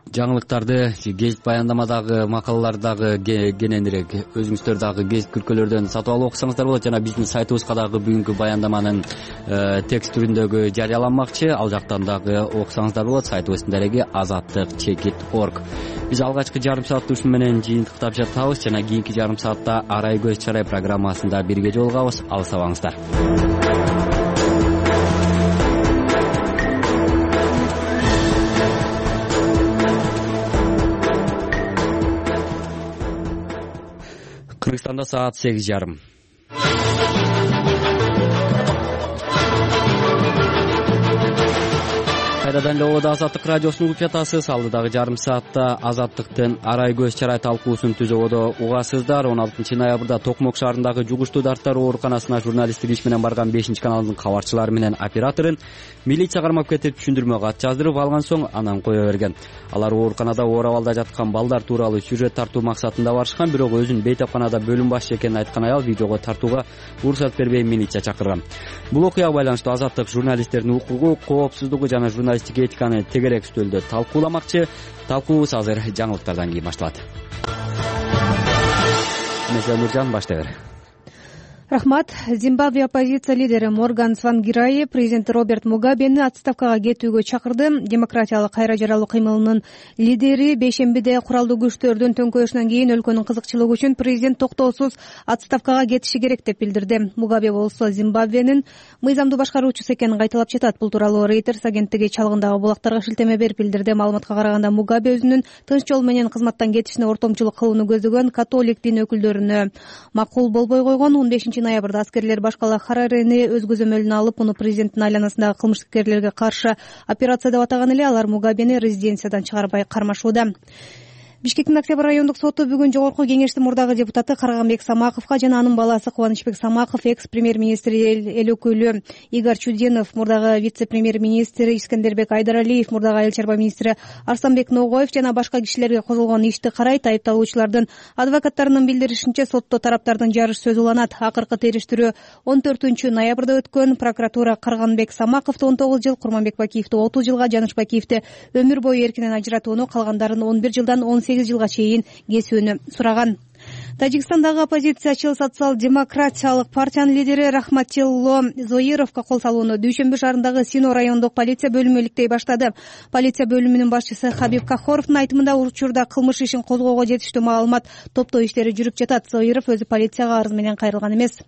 жаңылыктарды, гезит баяндамадагы макалалардагы кененирээк өзүңүздөр дагы гезит күркөлөрдөн сатып алып окусаңыздар болот. Жана биздин сайтыбызга дагы бүгүнкү баяндаманын текст түрүндөгү жарыяланмакчы. Ал жактан дагы окусаңыздар болот. Сайтыбыздын дареги азаттык чекит точка орг. Биз алгачкы жарым саатты ушун менен жыйынтыктап жатабыз жана кийинки жарым саатта Арай көз чарай программасында бирге жолугабыз. Алысабаңыздар. Кыргызстанда саат сегиз жарым. Кайрадан эле ободо Азаттык радиосун угуп жатасыз. Алдыдагы жарым саатта Азаттыктын Арай көз чарай талкуусун түз ободо угасыздар. он алтынчы ноябрда Токмок шаарындагы жугуштуу дарттар ооруканасына журналисттик иш менен барган бешинчи каналдын кабарчылары менен операторун милиция кармап кетип, түшүндүрмө кат жаздырып алган соң анан кое берген. Алар ооруканада оор абалда жаткан балдар тууралуу сюжет тартуу максатында барышкан, бирок өзүн бейтапканада бөлүм башчы экенин айткан аял видеого тартууга уруксат бербей милиция чакырган. Бул окуяга байланыштуу Азаттык журналисттердин укугу, коопсуздугу жана журналисттик этиканы тегерек үстөлдө талкууламакчы. Талкуубуз азыр жаңылыктардан кийин башталат. Месе Нуржан, баштай бер. Рахмат. Зимбабве оппозиция лидери Морган Цвангираи президент Роберт Мугабени отставкага кетүүгө чакырды. Демократиялык кайра жаралуу кыймылынын лидери бейшембиде куралдуу күчтөрдүн төңкөрүшүнөн кийин өлкөнүн кызыкчылыгы үчүн президент токтоосуз отставкага кетиши керек деп билдирди. Мугабе болсо Зимбабвенин мыйзамдуу башкаруучусу экенин кайталап жатат. Бул тууралуу Reuters агенттиги чалгындагы булактарга шилтеме берип билдирди. Маалыматка караганда Мугабе өзүнүн тынч жол менен кызматтан кетишине ортомчулук кылууну көздөгөн католик дин өкүлдөрүнө макул болбой койгон. он бешинчи ноябрда аскерлер башкала Харарени өз көзөмөлүнө алып, муну президенттин айланасындагы кылмышкерлерге каршы операция деп атаган эле. Алар Мугабени резиденциядан чыгарбай кармашууда. Бишкектин Октябрь райондук соту бүгүн жогорку кеңештин мурдагы депутаты Карганбек Самаковго жана анын баласы Кубанычбек Самаков, экс-премьер-министр эл өкүлү Игорь Чудинов, мурдагы вице-премьер-министр Искендербек Айдаралиев, мурдагы айыл чарба министри Арстанбек Ногоев жана башка кишилерге козголгон ишти карайт. Айыпталуучулардын адвокаттарынын билдиришинче, сотто тараптардын жарыш сөзү уланат. Акыркы териштирүү он төртүнчү ноябрда өткөн. Прокуратура Карганбек Самаковду он тогуз жыл, Курманбек Бакиевди отуз жылга, Жаныш Бакиевди өмүр бою эркинен ажыратууну, калгандарын он бир жылдан он сегиз жылга чейин кесүүнү сураган. Тажикстандагы оппозициячыл социал-демократиялык партиянын лидери Рахматилло Зоировго кол салууну Дүйшөмбү шаарындагы Сино райондук полиция бөлүмү иликтей баштады. Полиция бөлүмүнүн башчысы Хабиб Кахоровдун айтымында, учурда кылмыш ишин козгоого жетиштүү маалымат топтоо иштери жүрүп жатат. Зоиров өзү полицияга арыз менен кайрылган эмес.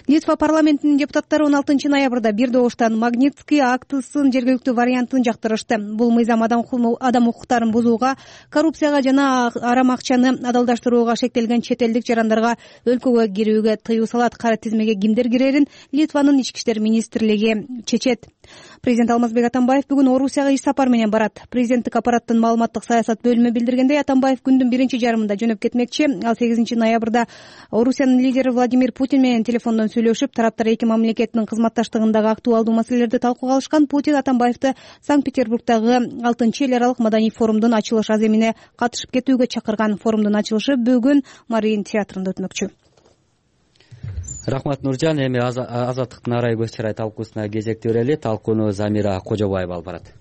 Литва парламентинин депутаттары он алтынчы ноябрда бир добуштан Магнитский актысынын жергиликтүү вариантын жактырышты. Бул мыйзам адам укуктарын бузууга, коррупцияга жана арам акчаны адалдаштырууга шектелген чет элдик жарандарга өлкөгө кирүүгө тыюу салат. Кара тизмеге кимдер кирерин Литванын ички иштер министрлиги чечет. Президент Алмазбек Атамбаев бүгүн Орусияга иш сапар менен барат. Президенттик аппараттын маалыматтык саясат бөлүмү билдиргендей, Атамбаев күндүн биринчи жарымында жөнөп кетмекчи. Ал сегизинчи ноябрда Орусиянын лидери Владимир Путин менен телефондон сүйлөшүп, тараптар эки мамлекеттин кызматташтыгындагы актуалдуу маселелерди талкууга алышкан. Путин Атамбаевди Санкт-Петербургдагы алтынчы эл аралык маданий форумдун ачылыш аземине катышып кетүүгө чакырган. Форумдун ачылышы бүгүн Марин театрында өтмөкчү. Рахмат Нуржан. Эми Азаттыктын Арай көз чарай талкуусуна кезекти берели. Талкууну Замира Кожобаева алып барат.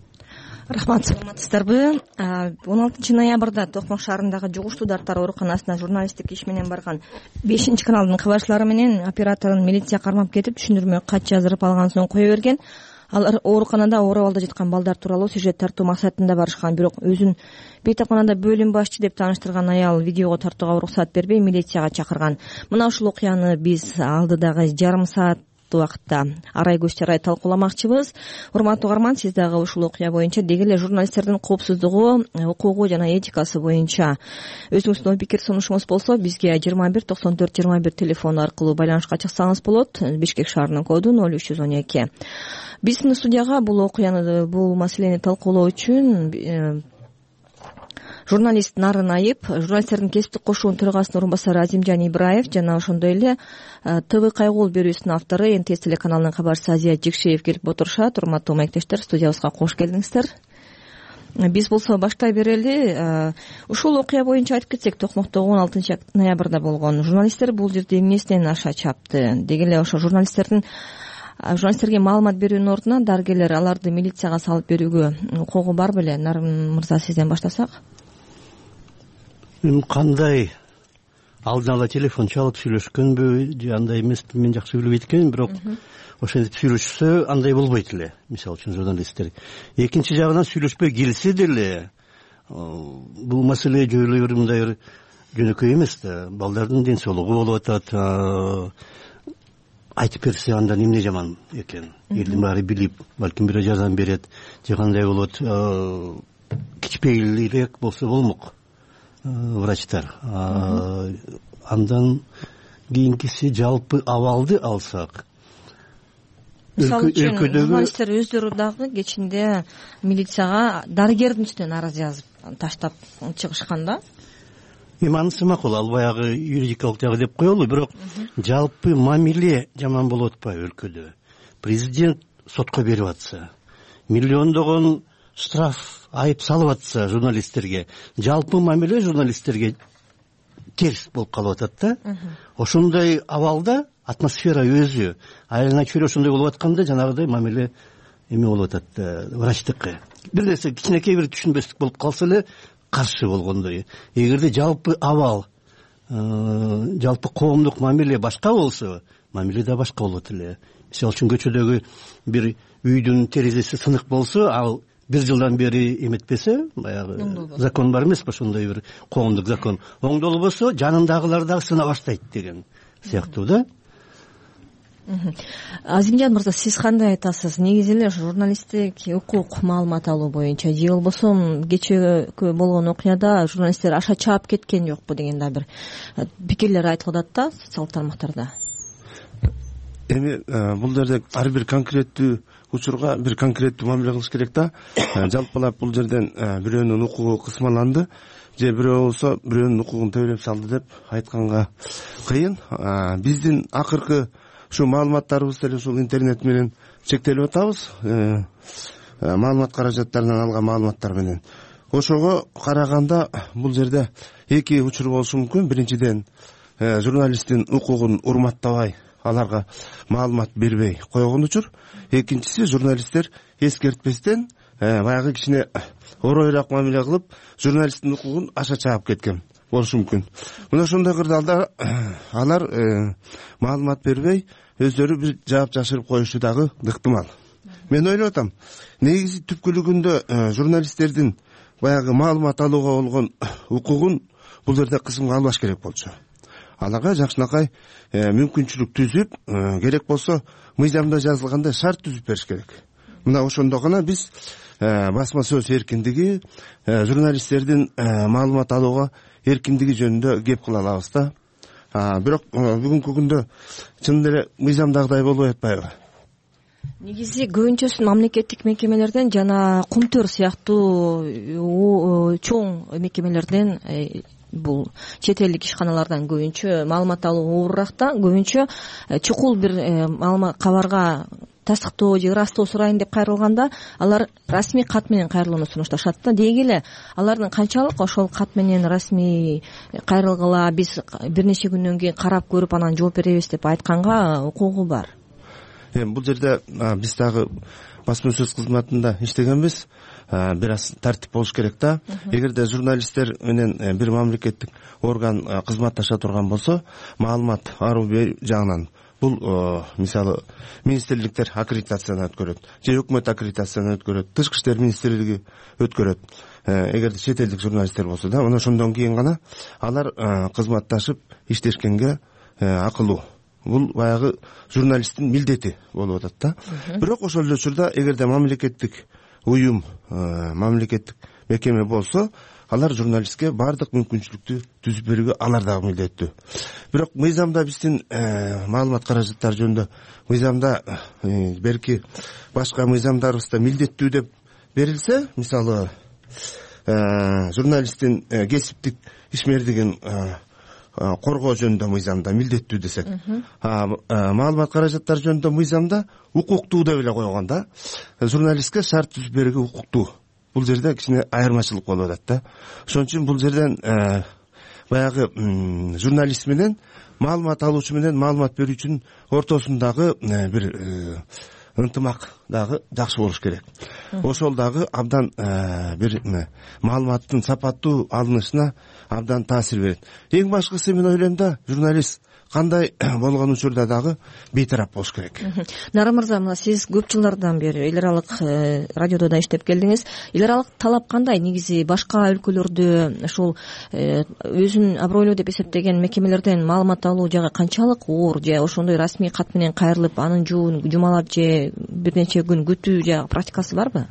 Рахмат, саламатсыздарбы? он алтынчы ноябрда Токмок шаарындагы жугуштуу дарттар ооруканасына журналисттик иш менен барган бешинчи каналдын кабарчылары менен операторун милиция кармап кетип, түшүндүрмө кат жаздырып алган соң кое берген. Алар ооруканада оор абалда жаткан балдар тууралуу сюжет тартуу максатында барышкан, бирок өзүн бейтапканада бөлүм башчы деп тааныштырган аял видеого тартууга уруксат бербей милицияга чакырган. Мына ушул окуяны биз алдыдагы жарым саат алкактуу убакытта арай көз чарай талкууламакчыбыз. Урматтуу угарман, сиз дагы ушул окуя боюнча деги эле журналисттердин коопсуздугу, укугу жана этикасы боюнча өзүңүздүн ой пикир сунушуңуз болсо бизге жыйырма бир токсон төрт жыйырма бир телефону аркылуу байланышка чыксаңыз болот. Бишкек шаарынын коду ноль үч жүз он эки. Биздин студияга бул окуяны, бул маселени талкуулоо үчүн журналист Нарын Айып, журналисттердин кесиптик кошуунун төрагасынын орун басары Азимжан Ибраев жана ошондой эле ТВ Кайгуул берүүсүнүн автору эн тэ эс телеканалынын кабарчысы Азия Жекшеев келип отурушат. Урматтуу маектештер, студиябызга кош келиңиздер. Биз болсо баштай берели. Ушул окуя боюнча айтып кетсек, Токмоктогу он алтынчы ноябрда болгон. Журналисттер бул жерде эмнесинен аша чапты? Деги эле ошо журналисттердин журналисттерге маалымат берүүнүн ордуна дарыгерлер аларды милицияга салып берүүгө укугу бар беле? Нарын мырза, сизден баштасак. Эми кандай алдын ала телефон чалып сүйлөшкөнбү же андай эмеспи, мен жакшы билбейт экенмин, бирок ошентип сүйлөшсө андай болбойт эле, мисалы үчүн журналисттер. Экинчи жагынан сүйлөшпөй келсе деле бул маселе жөн эле мындай бир жөнөкөй эмес да. Балдардын ден соолугу болуп атат. Айтып берсе андан эмне жаман экен? Элдин баары билип, балким бирөө жардам берет же кандай болот. Кичпейлирээк болсо болмок врачтар. Андан кийинкиси жалпы абалды алсак, мисалы үчүн журналисттер өздөрү дагы кечинде милицияга дарыгердин үстүнөн арыз жазып таштап чыгышкан да. Эми анысы макул, ал баягы юридикалык жагы деп коелу, бирок жалпы мамиле жаман болуп атпайбы өлкөдө? Президент сотко берип атса, миллиондогон штраф, айып салып атса журналисттерге, жалпы мамиле журналисттерге терс болуп калып атат да. Ошондой абалда атмосфера өзү айылына чөйрө ошондой болуп атканда жанагыдай мамиле эме болуп атат, врачтыкы. Бир нерсе кичинекей бир түшүнбөстүк болуп калса эле каршы болгондой. Эгерде жалпы абал, жалпы коомдук мамиле башка болсо, мамиле да башка болот эле. Мисалы үчүн көчөдөгү бир үйдүн терезеси сынык болсо, ал бир жылдан бери эметпесе, баягы закон бар эмеспи, ошондой бир коомдук закон. Оңдолбосо жанындагылар дагы сына баштайт деген сыяктуу да. Азимжан мырза, сиз кандай айтасыз? Негизи эле журналисттик укук маалымат алуу боюнча же болбосо кечээ болгон окуяда журналисттер аша чаап кеткен жокпу деген да бир пикирлер айтылып атат да социалдык тармактарда. Эми бул жерде ар бир конкреттүү учурга бир конкреттүү мамиле кылыш керек да. Жалпылап бул жерден бирөөнүн укугу кысмаланды же бирөө болсо бирөөнүн укугун төбөлөп салды деп айтканга кыйын. Биздин акыркы ушу маалыматтарыбыз деле ушул интернет менен чектелип атабыз. Маалымат каражаттарынан алган маалыматтар менен. Ошого караганда бул жерде эки учур болушу мүмкүн. Биринчиден, журналисттин укугун урматтабай, аларга маалымат бербей койгон учур. Экинчиси, журналисттер эскертпестен баягы кичине оройраак мамиле кылып, журналисттин укугун аша чаап кеткен болушу мүмкүн. Мына ошондой кырдаалда алар маалымат бербей өздөрү бир жаап жашырып коюшу дагы ыктымал. Мен ойлоп атам, негизи түпкүлүгүндө журналисттердин баягы маалымат алууга болгон укугун бул жерде кысымга албаш керек болчу. Аларга жакшынакай мүмкүнчүлүк түзүп, керек болсо мыйзамда жазылгандай шарт түзүп бериш керек. Мына ошондо гана биз басма сөз эркиндиги, журналисттердин маалымат алууга эркиндиги жөнүндө кеп кыла алабыз да. Бирок бүгүнкү күндө чын эле мыйзамдагыдай болбой атпайбы? Негизи көбүнчөсү мамлекеттик мекемелерден жана Кумтөр сыяктуу чоң мекемелерден, бул чет элдик ишканалардан көбүнчө маалымат алуу оорураак да. Көбүнчө чукул бир маалымат кабарга тастыктоо же ырастоо сурайын деп кайрылганда алар расмий кат менен кайрылууну сунушташат да. Деги эле алардын канчалык ошол кат менен расмий кайрылгыла, биз бир нече күндөн кийин карап көрүп анан жооп беребиз деп айтканга укугу бар. Эми бул жерде биз дагы басма сөз кызматында иштегенбиз. Бир аз тартип болуш керек да. Эгерде журналисттер менен бир мамлекеттик орган кызматташа турган болсо, маалымат аруу жагынан бул мисалы министрликтер аккредитациядан өткөрөт, же өкмөт аккредитациядан өткөрөт, тышкы иштер министрлиги өткөрөт. Эгерде чет элдик журналисттер болсо да, мына ошондон кийин гана алар кызматташып иштешкенге акылуу бул баягы журналисттин милдети болуп атат да. Бирок ошол эле учурда эгерде мамлекеттик уюм, мамлекеттик мекеме болсо, алар журналистке баардык мүмкүнчүлүктү түзүп берүүгө алар дагы милдеттүү. Бирок мыйзамда биздин маалымат каражаттары жөнүндө мыйзамда берки башка мыйзамдарыбызда милдеттүү деп берилсе, мисалы журналисттин кесиптик ишмердигин коргоо жөнүндө мыйзамда милдеттүү десек, маалымат каражаттары жөнүндө мыйзамда укуктуу деп эле койгон да. Журналистке шарт түзүп берүүгө укуктуу. Бул жерде кичине айырмачылык болуп атат да. Ошон үчүн бул жерден баягы журналист менен маалымат алуучу менен маалымат берүүчүнүн ортосундагы бир ынтымак дагы жакшы болуш керек. Ошол дагы абдан бир маалыматтын сапаттуу алынышына абдан таасир берет. Эң башкысы мен ойлойм да, журналист кандай болгон учурда дагы бейтарап болуш керек. Нара мырза, мына сиз көп жылдардан бери эл аралык радиодо да иштеп келдиңиз. Эл аралык талап кандай? Негизи башка өлкөлөрдө ушул өзүн абройлуу деп эсептеген мекемелерден маалымат алуу жагы канчалык оор, же ошондой расмий кат менен кайрылып, анын жуун жумалап же бир нече күн күтүү же практикасы барбы?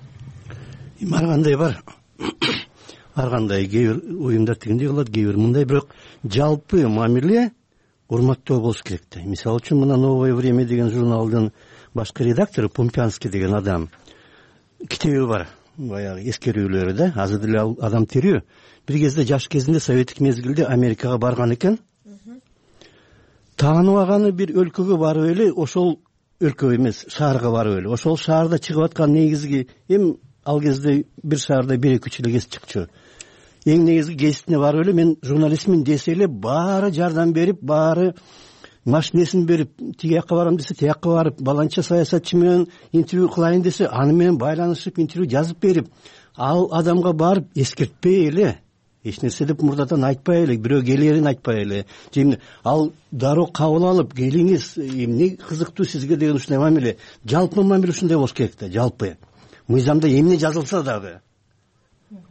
Ар кандай бар. Ар кандай кээ бир уюмдар тигиндей кылат, кээ бир мындай, бирок жалпы мамиле урматтоо болуш керек да. Мисалы үчүн мына «Новое время» деген журналдын башкы редактору Помпянский деген адам китеби бар, баягы эскерүүлөрү да. Азыр деле ал адам тирүү. Бир кезде жаш кезинде советтик мезгилде Америкага барган экен. Тааныбаганы бир өлкөгө барып эле, ошол өлкө эмес, шаарга барып эле, ошол шаарда чыгып аткан негизги эми ал кезде бир шаарда бир эки үч эле кесип чыкчу. Эң негизги кесиптине барып эле мен журналистмин десе эле баары жардам берип, баары машинесин берип, тиги жакка барам десе тиякка барып, баланча саясатчы менен интервью кылайын десе аны менен байланышып интервью жазып берип, ал адамга барып эскертпей эле, эч нерсе деп мурдадан айтпай эле, бирөө келерин айтпай эле, же ал дароо кабыл алып, келиңиз, эмне кызыктуу сизге деген ушундай мамиле. Жалпы мамиле ушундай болуш керек да, жалпы. Мыйзамда эмне жазылса дагы,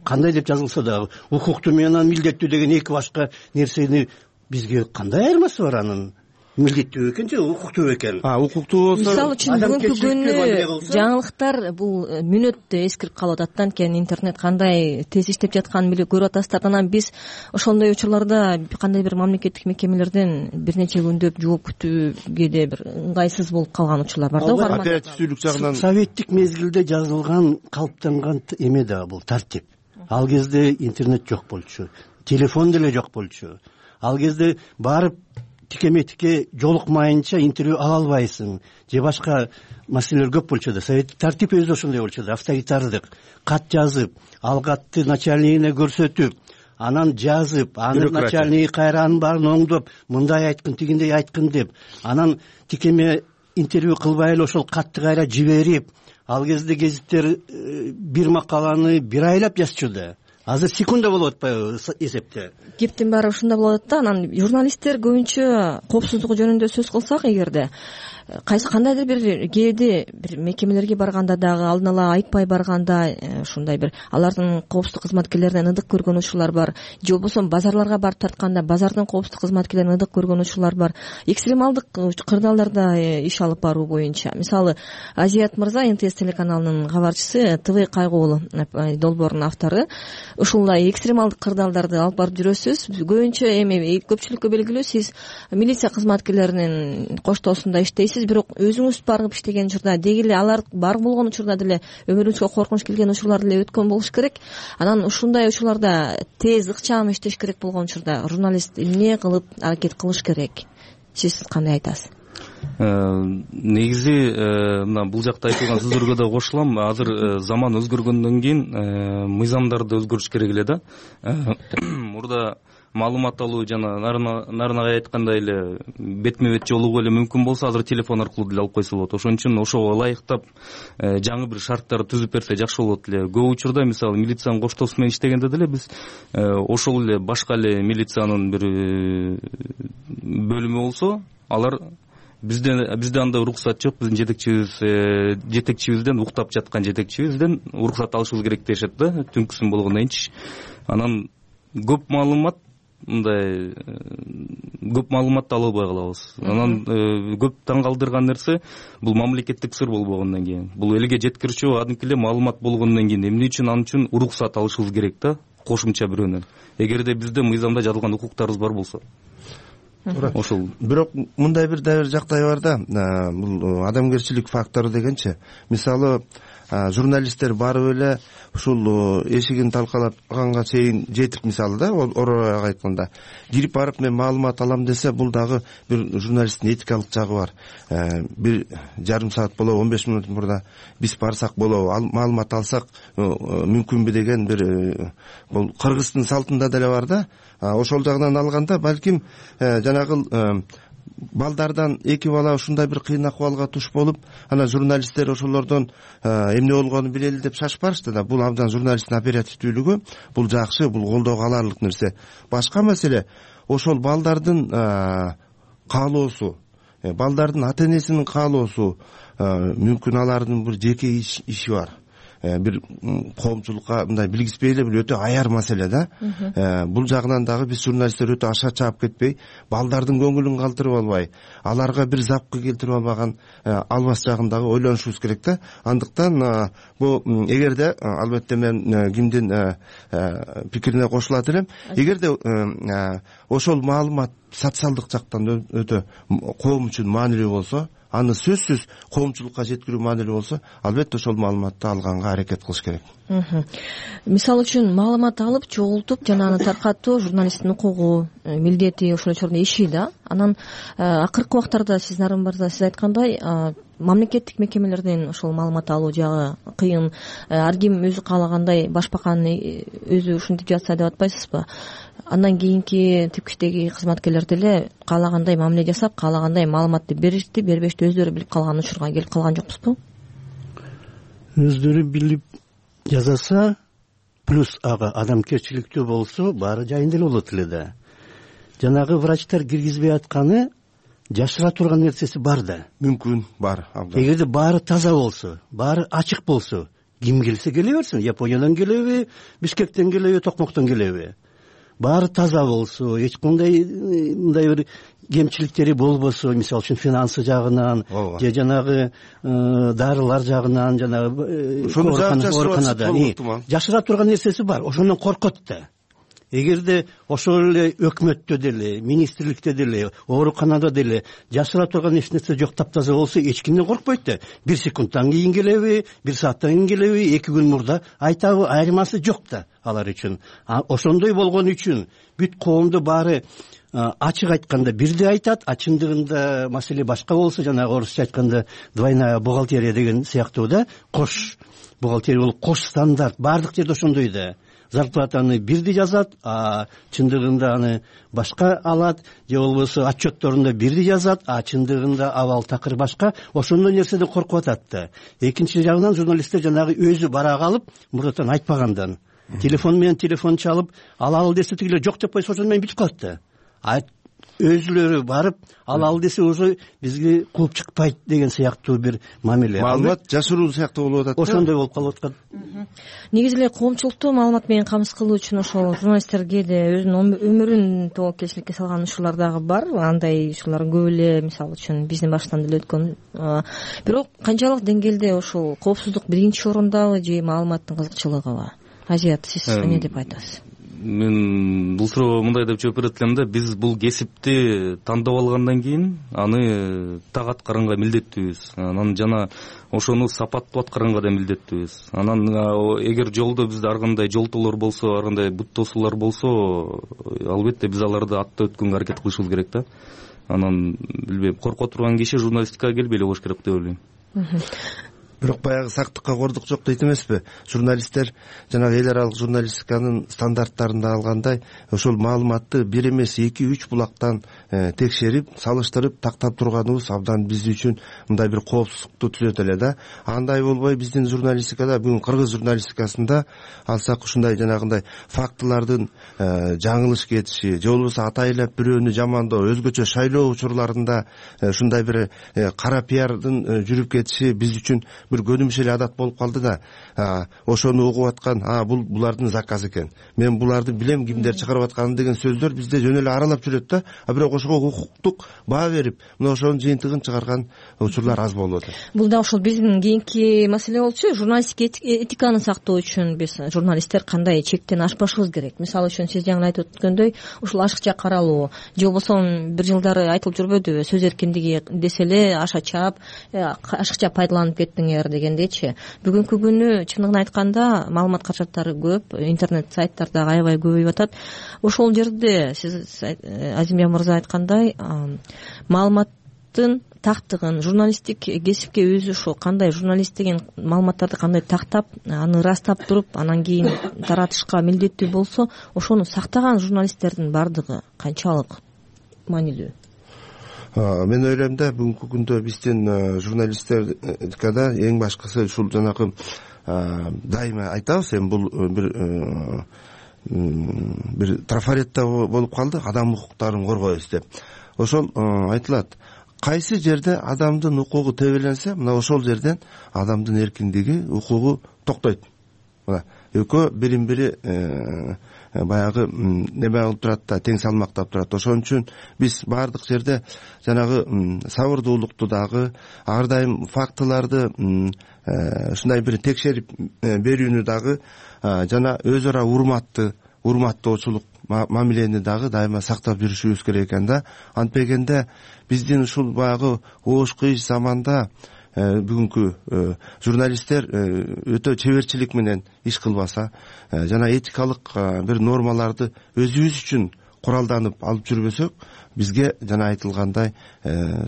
кандай деп жазылса дагы, укуктуу менен милдеттүү деген эки башка нерсени бизге кандай айырмасы бар анын? Милдеттүү экен же укуктуу экен? А, укуктуу болсо, мисалы үчүн бүгүнкү күнү жаңылыктар бул мүнөттө эскирип калып атат. Анткени интернет кандай тез иштеп жатканын билип көрүп атасыздар. Анан биз ошондой учурларда кандай бир мамлекеттик мекемелерден бир нече күндөп жооп күтүүгө да бир ыңгайсыз болуп калган учурлар бар да. Оперативдүүлүк жагынан советтик мезгилде жазылган, калыптанган эме да бул тартип. Ал кезде интернет жок болчу, телефон деле жок болчу. Ал кезде барып тикеме-тике жолукмайынча интервью ала албайсың, же башка маселелер көп болчу да. Советтик тартип өзү ошондой болчу да, авторитардык. Кат жазып, ал катты начальнигине көрсөтүп, анан жазып, анын начальниги кайра анын баарын оңдоп, мындай айткын, тигиндей айткын деп, анан тикеме интервью кылбай эле ошол катты кайра жиберип, ал кезде гезиттер бир макаланы бир айлап жазчу да. Азыр секунда болуп атпайбы эсепте? Кептин баары ушунда болот да. Анан журналисттер көбүнчө коопсуздугу жөнүндө сөз кылсак, эгерде кайсы кандайдыр бир кээде бир мекемелерге барганда дагы алдын ала айтпай барганда ушундай бир алардын коопсуздук кызматкерлеринен ыдык көргөн учурлар бар, же болбосо базарларга барып тартканда базардын коопсуздук кызматкерлеринен ыдык көргөн учурлар бар. Экстремалдык кырдаалдарда иш алып баруу боюнча, мисалы Азият мырза, эн тэ эс телеканалынын кабарчысы, ТВ кайгуу долбоорунун автору, ушулай экстремалдык кырдаалдарды алып барып жүрөсүз. Көбүнчө эми көпчүлүккө белгилүү, сиз милиция кызматкерлеринин коштоосунда иштейсиз, бирок өзүңүз барып иштеген учурда деги эле алар бар болгон учурда деле өмүрүңүзгө коркунуч келген учурлар деле өткөн болуш керек. Анан ушундай учурларда тез ыкчам иштеш керек болгон учурда журналист эмне кылып аракет кылыш керек? Сиз кандай айтасыз? Негизи мына бул жакта айтылган сөздөргө да кошулам. Азыр заман өзгөргөндөн кийин мыйзамдарды өзгөртүш керек эле да. Мурда маалымат алуу жана нарынагай айткандай эле бетме бет жолугуу эле мүмкүн болсо, азыр телефон аркылуу деле алып койсо болот. Ошон үчүн ошого ылайыктап жаңы бир шарттар түзүп берсе жакшы болот эле. Көп учурда мисалы милициянын коштоосу менен иштегенде деле биз ошол эле башка эле милициянын бир бөлүмү болсо, алар бизде бизде андай уруксат жок, биздин жетекчибиз жетекчибизден уктап жаткан жетекчибизден уруксат алышыбыз керек дешет да, түнкүсүн болгондон кийинчи. Анан көп маалымат, мындай бир бөлүмү болсо, алар бизде андай уруксат жок, биздин жетекчибизден уктап жаткан жетекчибизден уруксат алышыбыз керек дешет да, түнкүсүн болгондон кийинчи. Анан көп маалымат, мындай көп маалыматты ала албай калабыз. Анан көп таң калтырган нерсе бул мамлекеттик сыр болбогондон кийин, бул элге жеткирүүчү кадимки эле маалымат болгондон кийин эмне үчүн анын үчүн уруксат алышыбыз керек да, кошумча бирөөнөн. Эгерде бизде мыйзамда жазылган укуктарыбыз бар болсо. Ошол. Бирок мындай бир да бир жактай бар да, бул адамгерчилик фактору дегенчи. Мисалы, журналисттер барып эле ушул эшигин талкалаганга чейин жетип, мисалы да, ороояк айтканда кирип барып мен маалымат алам десе, бул дагы бир журналисттин этикалык жагы бар. Бир жарым саат болобу, он беш мүнөт мурда биз барсак болобу, маалымат алсак мүмкүнбү деген бир, бул Кыргыздын салтында деле бар да. Ошол жагынан алганда балким жанагы балдардан эки бала ушундай бир кыйын акыбалга туш болуп, анан журналисттер ошолордон эмне болгонун билели деп шашып барышты да. Бул абдан журналисттин оперативдүүлүгү, бул жакшы, бул колдоого аларлык нерсе. Башка маселе ошол балдардын каалоосу, балдардын ата энесинин каалоосу, мүмкүн алардын бир жеке иши бар. Бир коомчулукка мындай билгизбей эле бир өтө аяр маселе да. Бул жагынан дагы биз журналисттер өтө аша чаап кетпей, балдардын көңүлүн калтырып албай, аларга бир запкы келтирип албаган албас жагын дагы ойлонушубуз керек да. Андыктан бул эгерде, албетте мен кимдин пикирине кошулат элем, эгерде ошол маалымат социалдык жактан өтө коом үчүн маанилүү болсо, аны сөзсүз коомчулукка жеткирүү маанилүү болсо, албетте ошол маалыматты алганга аракет кылыш керек. Мисалы үчүн маалымат алып, чогултуп, жана аны таркатуу журналисттин укугу, милдети, ошолчордун иши да. Анан акыркы убактарда сиздин арымдарда сиз айткандай, мамлекеттик мекемелерден ошол маалымат алуу жагы кыйын. Ар ким өзү каалагандай башбакан өзү ушинтип жатса деп атпайсызбы? Андан кийинки типкичтеги кызматкерлер деле каалагандай мамиле жасап, каалагандай маалыматты беришти, бербешти, өздөрү билип калган учурга келип калган жокпузбу? Өздөрү билип жазаса, плюс ага адамгерчиликтүү болсо, баары жайында эле болот эле да. Жанагы врачтар киргизбей атканы жашыра турган нерсеси бар да. Мүмкүн бар. Эгерде баары таза болсо, баары ачык болсо, ким келсе келе берсин, Япониядан келеби, Бишкектен келеби, Токмоктон келеби. Баары таза болсо, эч кандай мындай бир кемчиликтери болбосо, мисалы үчүн финансы жагынан, же жанагы дарылар жагынан, жанагы ооруканада жашыра турган нерсеси бар, ошондон коркот да. Эгерде ошол эле өкмөттө деле, министрликте деле, ооруканада деле жашыра турган эч нерсе жок, таптаза болсо, эч кимден коркпойт да. Бир секундтан кийин келеби, бир сааттан кийин келеби, эки күн мурда айтабы, айырмасы жок да алар үчүн. Ошондой болгон үчүн бүт коомду баары ачык айтканда бирдей айтат, а чындыгында маселе башка болсо, жанагы орусча айтканда двойная бухгалтерия деген сыяктуу да, кош бухгалтерия болуп, кош стандарт, баардык жерде ошондой да. Зарплатаны бирдей жазат, а чындыгында аны башка алат, же болбосо отчетторунда бирдей жазат, а чындыгында абал такыр башка. Ошондой нерседен коркуп атат да. Экинчи жагынан журналисттер жанагы өзү бара калып, мурдатан айтпагандан телефон менен телефон чалып, алалы десе тигилер жок деп койсо, ошондо менен бүтүп калат да. Өзүлөрү барып алалы десе уже бизге кууп чыкпайт деген сыяктуу бир мамиле. Маалымат жашыруу сыяктуу болуп атат. Ошондой болуп калып аткан. Негизи эле коомчулукту маалымат менен камсыз кылуу үчүн ошол журналисттерге да өзүнүн өмүрүн тобокелчиликке салган учурлар дагы бар. Андай учурлар көп эле, мисалы үчүн биздин баштан деле өткөн. Бирок канчалык деңгээлде ошол коопсуздук биринчи орондабы же маалыматтын кызыкчылыгыбы? Азият, сиз эмне деп айтасыз? Мен бул суроого мындай деп жооп берет элем да, биз бул кесипти тандап алгандан кийин аны так аткарганга милдеттүүбүз. Анан жана ошону сапаттуу аткарганга да милдеттүүбүз. Анан эгер жолдо бизде ар кандай жолтоолор болсо, ар кандай бут тосуулар болсо, албетте биз аларды аттап өткөнгө аракет кылышыбыз керек да. Анан билбейм, корко турган киши журналистикага келбей эле болуш керек деп ойлойм. Бирок баягы сактыкка кордук жок дейт эмеспи? Журналисттер жанагы эл аралык журналистиканын стандарттарында алгандай ошол маалыматты бир эмес эки үч булактан текшерип, салыштырып, тактап турганыбыз абдан биз үчүн мындай бир коопсуздукту түзөт эле да. Андай болбой биздин журналистикада, бүгүн кыргыз журналистикасында алсак ушундай жанагындай фактылардын жаңылыш кетиши, же болбосо атайлап бирөөнү жамандоо, өзгөчө шайлоо учурларында ушундай бир кара пиардын жүрүп кетиши биз үчүн бир көнүмүш эле адат болуп калды да, ошону угуп аткан, а бул булардын заказы экен, мен буларды билем кимдер чыгарып атканын деген сөздөр бизде жөн эле аралап жүрөт да, а бирок ошого укуктук баа берип мына ошонун жыйынтыгын чыгарган учурлар аз болуп атат. Бул да ошол биздин кийинки маселе болчу. Журналисттик этиканы сактоо үчүн биз журналисттер кандай чектен ашпашыбыз керек? Мисалы үчүн сиз жаңы айтып өткөндөй, ушул ашыкча каралуу же болбосо бир жылдары айтылып жүрбөдүбү, сөз эркиндиги десе эле аша чаап, ашыкча пайдаланып кеттиңер дегендейчи. Бүгүнкү күнү чындыгын айтканда маалымат каражаттары көп, интернет сайттар дагы аябай көбөйүп атат. Ошол жерде сиз Азимбек мырза айткандай, маалыматтын тактыгын, журналисттик кесипке өзү ошо кандай журналист деген маалыматтарды кандай тактап, аны ырастап туруп, анан кийин таратышка милдеттүү болсо, ошону сактаган журналисттердин бардыгы канчалык маанилүү? Мен ойлойм да, бүгүнкү күндө биздин журналисттердикада эң башкысы ушул жанагы дайыма айтабыз, эми бул бир бир трафаретте болуп калды, адам укуктарын коргойбуз деп. Ошол айтылат, кайсы жерде адамдын укугу тебеленсе, мына ошол жерден адамдын эркиндиги, укугу токтойт. Мына экөө бирин бири баягы неме кылып турат да, тең салмактап турат. Ошон үчүн биз баардык жерде жанагы сабырдуулукту дагы, ар дайым фактыларды ушундай бир текшерип берүүнү дагы, жана өз ара урматты, урматтоочулук мамилени дагы дайыма сактап жүрүшүбүз керек экен да. Антпегенде биздин ушул баягы оош кыйыш заманда бүгүнкү журналисттер өтө чеберчилик менен иш кылбаса, жана этикалык бир нормаларды өзүбүз үчүн куралданып алып жүрбөсөк, бизге жана айтылгандай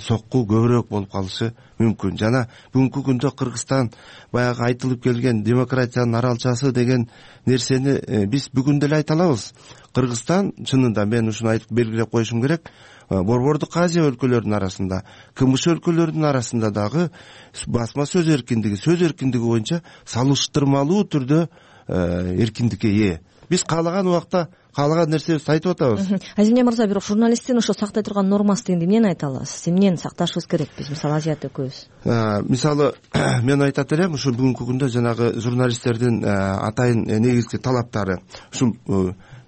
сокку көбүрөөк болуп калышы мүмкүн. Жана бүгүнкү күндө Кыргызстан баягы айтылып келген демократиянын аралчасы деген нерсени биз бүгүн деле айта алабыз. Кыргызстан чынында, мен ушуну айтып белгилеп коюшум керек, Борбордук Азия өлкөлөрүнүн арасында, КМШ өлкөлөрүнүн арасында дагы басма сөз эркиндиги, сөз эркиндиги боюнча салыштырмалуу түрдө эркиндикке ээ. Биз каалаган убакта каалаган нерсебизди айтып атабыз. Азимбек мырза, бирок журналисттин ошо сактай турган нормасы дегенди эмнени айта аласыз? Эмнени сакташыбыз керек биз, мисалы Азият экөөбүз? Мисалы, мен айтат элем, ушул бүгүнкү күндө жанагы журналисттердин атайын негизги талаптары ушул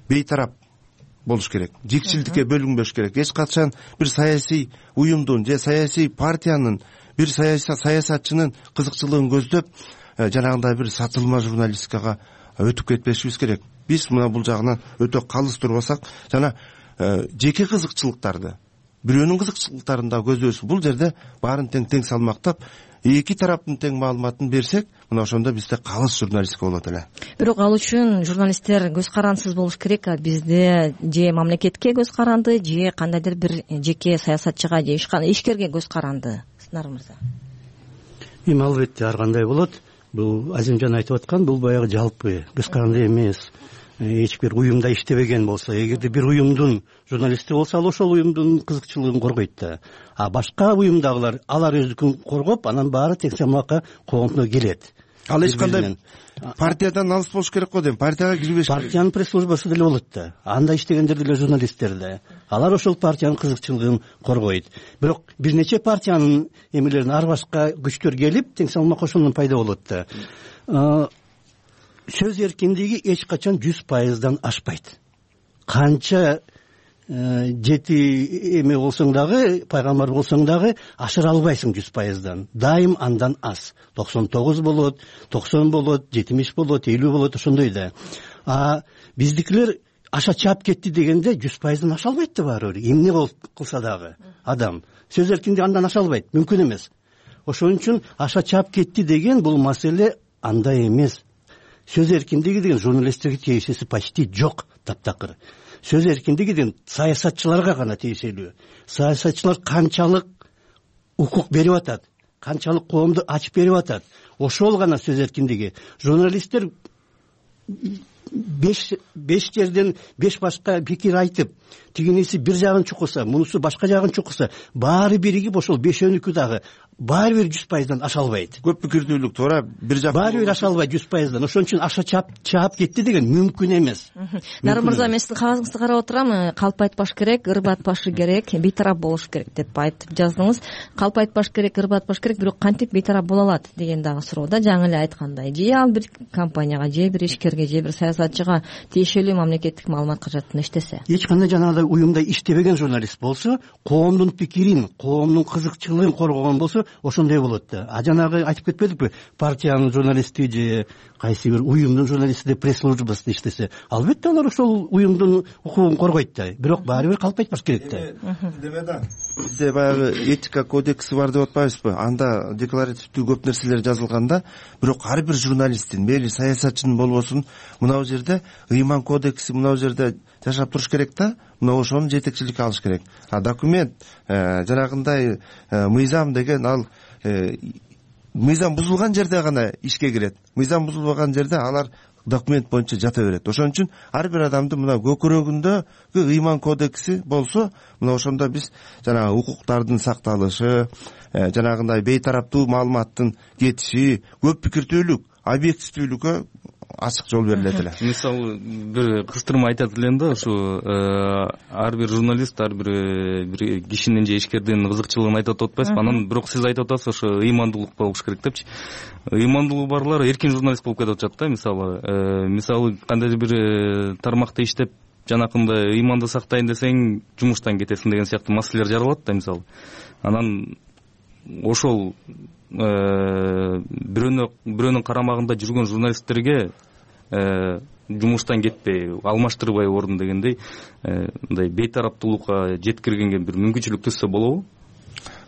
бейтарап болуш керек, жикчилдикке бөлүнбөш керек. Эч качан бир саясий уюмдун же саясий партиянын, бир саясатчынын кызыкчылыгын көздөп, жанагындай бир сатылма журналистикага өтүп кетпешибиз керек. Биз мына бул жагынан өтө калыс турбасак, жана жеке кызыкчылыктарды, бирөөнүн кызыкчылыктарын да көздөбөс. Бул жерде баарын тең-тең салмактап, эки тараптын тең маалыматын берсек, мына ошондо бизде калыс журналистика болот эле. Бирок ал үчүн журналисттер көз карандысыз болуш керек. Бизде же мамлекетке көз каранды, же кандайдыр бир жеке саясатчыга же ишкерге көз каранды. Сынар мырза. Эми албетте ар кандай болот. Бул Азимжан айтып аткан, бул баягы жалпы көз каранды эмес. Эч бир уюмда иштебеген болсо, эгерде бир уюмдун журналисти болсо, ал ошол уюмдун кызыкчылыгын коргойт да. А башка уюмдагылар алар өздүкүн коргоп, анан баары тең салмакка коомдо келет. Ал эч кандай партиядан алыс болуш керек го дейм. Партияга кирбеш керек. Партиянын пресс-службасы деле болот да. Анда иштегендер деле журналисттер да. Алар ошол партиянын кызыкчылыгын коргойт. Бирок бир нече партиянын эмелерин ар башка күчтөр келип, тең салмак ошондон пайда болот да. Сөз эркиндиги эч качан жүз пайыздан ашпайт. Канча жети эме болсоң дагы, пайгамбар болсоң дагы ашыра албайсың жүз пайыздан. Дайым андан аз. токсон тогуз болот, токсон болот, жетимиш болот, элүү болот, ошондой да. А биздикилер аша чаап кетти дегенде жүз пайыздан аша албайт да баары бир. Эмне болуп кылса дагы адам. Сөз эркиндиги андан аша албайт, мүмкүн эмес. Ошон үчүн аша чаап кетти деген бул маселе андай эмес. Сөз эркиндиги деген журналисттерге тиешеси почти жок, таптакыр. Сөз эркиндиги деген саясатчыларга гана тиешелүү. Саясатчылар канчалык укук берип атат, канчалык коомду ачып берип атат, ошол гана сөз эркиндиги. Журналисттер беш беш жерден беш башка пикир айтып, тигиниси бир жагын чукуса, мунусу башка жагын чукуса, баары биригип ошол бешөөнүкү дагы баары бир жүз пайыздан аша албайт. Көп пикирдүүлүк туура бир жак баары бир аша албайт жүз пайыздан. Ошон үчүн аша чаап чаап кетти деген мүмкүн эмес. Дары мырза, мен сиздин кагазыңызды карап отурам. Калп айтпаш керек, ырып атпаш керек, бейтарап болуш керек деп айтып жаздыңыз. Калп айтпаш керек, ырып атпаш керек, бирок кантип бейтарап боло алат деген дагы суроо да. Жаңы эле айткандай, же ал бир компанияга, же бир ишкерге, же бир саясатчыга тиешелүү мамлекеттик маалымат каражатын иштесе. Эч кандай жанагындай уюмда иштебеген журналист болсо, коомдун пикирин, коомдун кызыкчылыгын коргогон болсо, ошондой болот да. А жанагы айтып кетпедикпи, партиянын журналисти же кайсы бир уюмдун журналисти деп пресс службасында иштесе, албетте алар ошол уюмдун укугун коргойт да. Бирок баары бир калп айтпаш керек да. Деме да. Бизде баягы этика кодекси бар деп атпайбызбы? Анда декларативдүү көп нерселер жазылганда, бирок ар бир журналисттин, мейли саясатчынын болбосун, мына жерде ыйман кодекси мына жерде жашап туруш керек да. Мына ошону жетекчиликке алыш керек. А документ жанагындай мыйзам деген ал мыйзам бузулган жерде гана ишке кирет. Мыйзам бузулбаган жерде алар документ боюнча жата берет. Ошон үчүн ар бир адамдын мына көкүрөгүндөгү ыйман кодекси болсо, мына ошондо биз жанагы укуктардын сакталышы, жанагындай бейтараптуу маалыматтын кетиши, көп пикирдүүлүк, объективдүүлүккө ачык жол берилет эле. Мисалы бир кыстырма айтат элем да, ушу ар бир журналист, ар бир бир кишинин же ишкердин кызыкчылыгын айтып атпайсызбы? Анан бирок сиз айтып атасыз, ошо ыймандуулук болуш керек депчи. Ыймандуулугу барлар эркин журналист болуп кетип атышат да. Мисалы, мисалы кандайдыр бир тармакта иштеп, жанакындай ыйманды сактайын десең, жумуштан кетесиң деген сыяктуу маселелер жаралат да, мисалы. Анан ошол бирөөнү бирөөнүн карамагында жүргөн журналисттерге жумуштан кетпей, алмаштырбай ордун дегендей, мындай бейтараптуулукка жеткиргенге бир мүмкүнчүлүк түзсө болобу?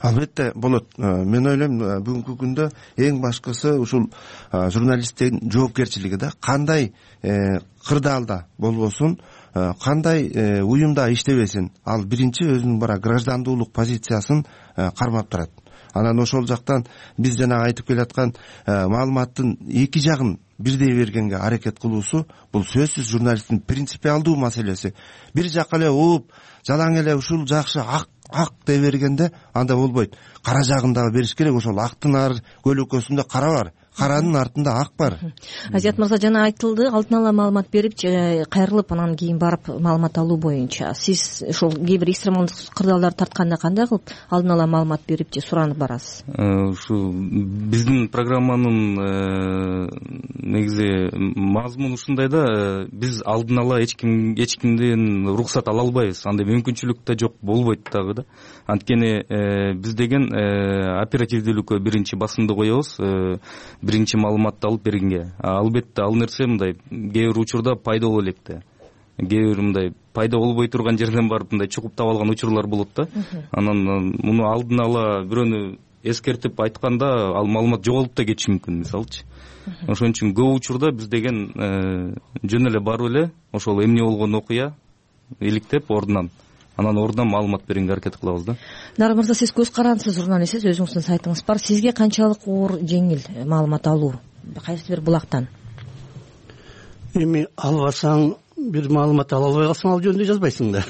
Албетте болот. Мен ойлойм, бүгүнкү күндө эң башкысы ушул журналисттин жоопкерчилиги да. Кандай кырдаалда болбосун, кандай уюмда иштебесин, ал биринчи өзүнүн бара граждандуулук позициясын кармап турат. Анан ошол жактан биз жана айтып келаткан маалыматтын эки жагын бирдей бергенге аракет кылуусу бул сөзсүз журналисттин принципиалдуу маселеси. Бир жакка эле ууп, жалаң эле ушул жакшы ак ак дей бергенде анда болбойт. Кара жагын дагы бериш керек. Ошол актын ар көлөкөсүндө кара бар, каранын артында ак бар. Азият мырза, жана айтылды, алдын ала маалымат берип, кайрылып анан кийин барып маалымат алуу боюнча. Сиз ошол кээ бир экстремалдык кырдаалдар тартканда кандай кылып алдын ала маалымат берип же суранып барасыз? Ушу биздин программанын негизи мазмуну ушундай да, биз алдын ала эч ким эч кимден уруксат ала албайбыз. Андай мүмкүнчүлүк да жок, болбойт дагы да. Анткени биз деген оперативдүүлүккө биринчи басымды коебуз, биринчи маалыматты алып бергенге. Албетте ал нерсе мындай кээ бир учурда пайда боло элек да. Кээ бир мындай пайда болбой турган жерден барып мындай чукуп таап алган учурлар болот да. Анан муну алдын ала бирөөнү эскертип айтканда ал маалымат жоголуп да кетиши мүмкүн, мисалычы. Ошон үчүн көп учурда биз деген жөн эле барып эле ошол эмне болгон окуя иликтеп ордунан анан ордунан маалымат бергенге аракет кылабыз да. Дары мырза, сиз көз карандысыз, журналистсиз, өзүңүздүн сайтыңыз бар. Сизге канчалык оор, жеңил маалымат алуу кайсы бир булактан? Эми албасаң, бир маалымат ала албай калсаң, ал жөнүндө жазбайсың да.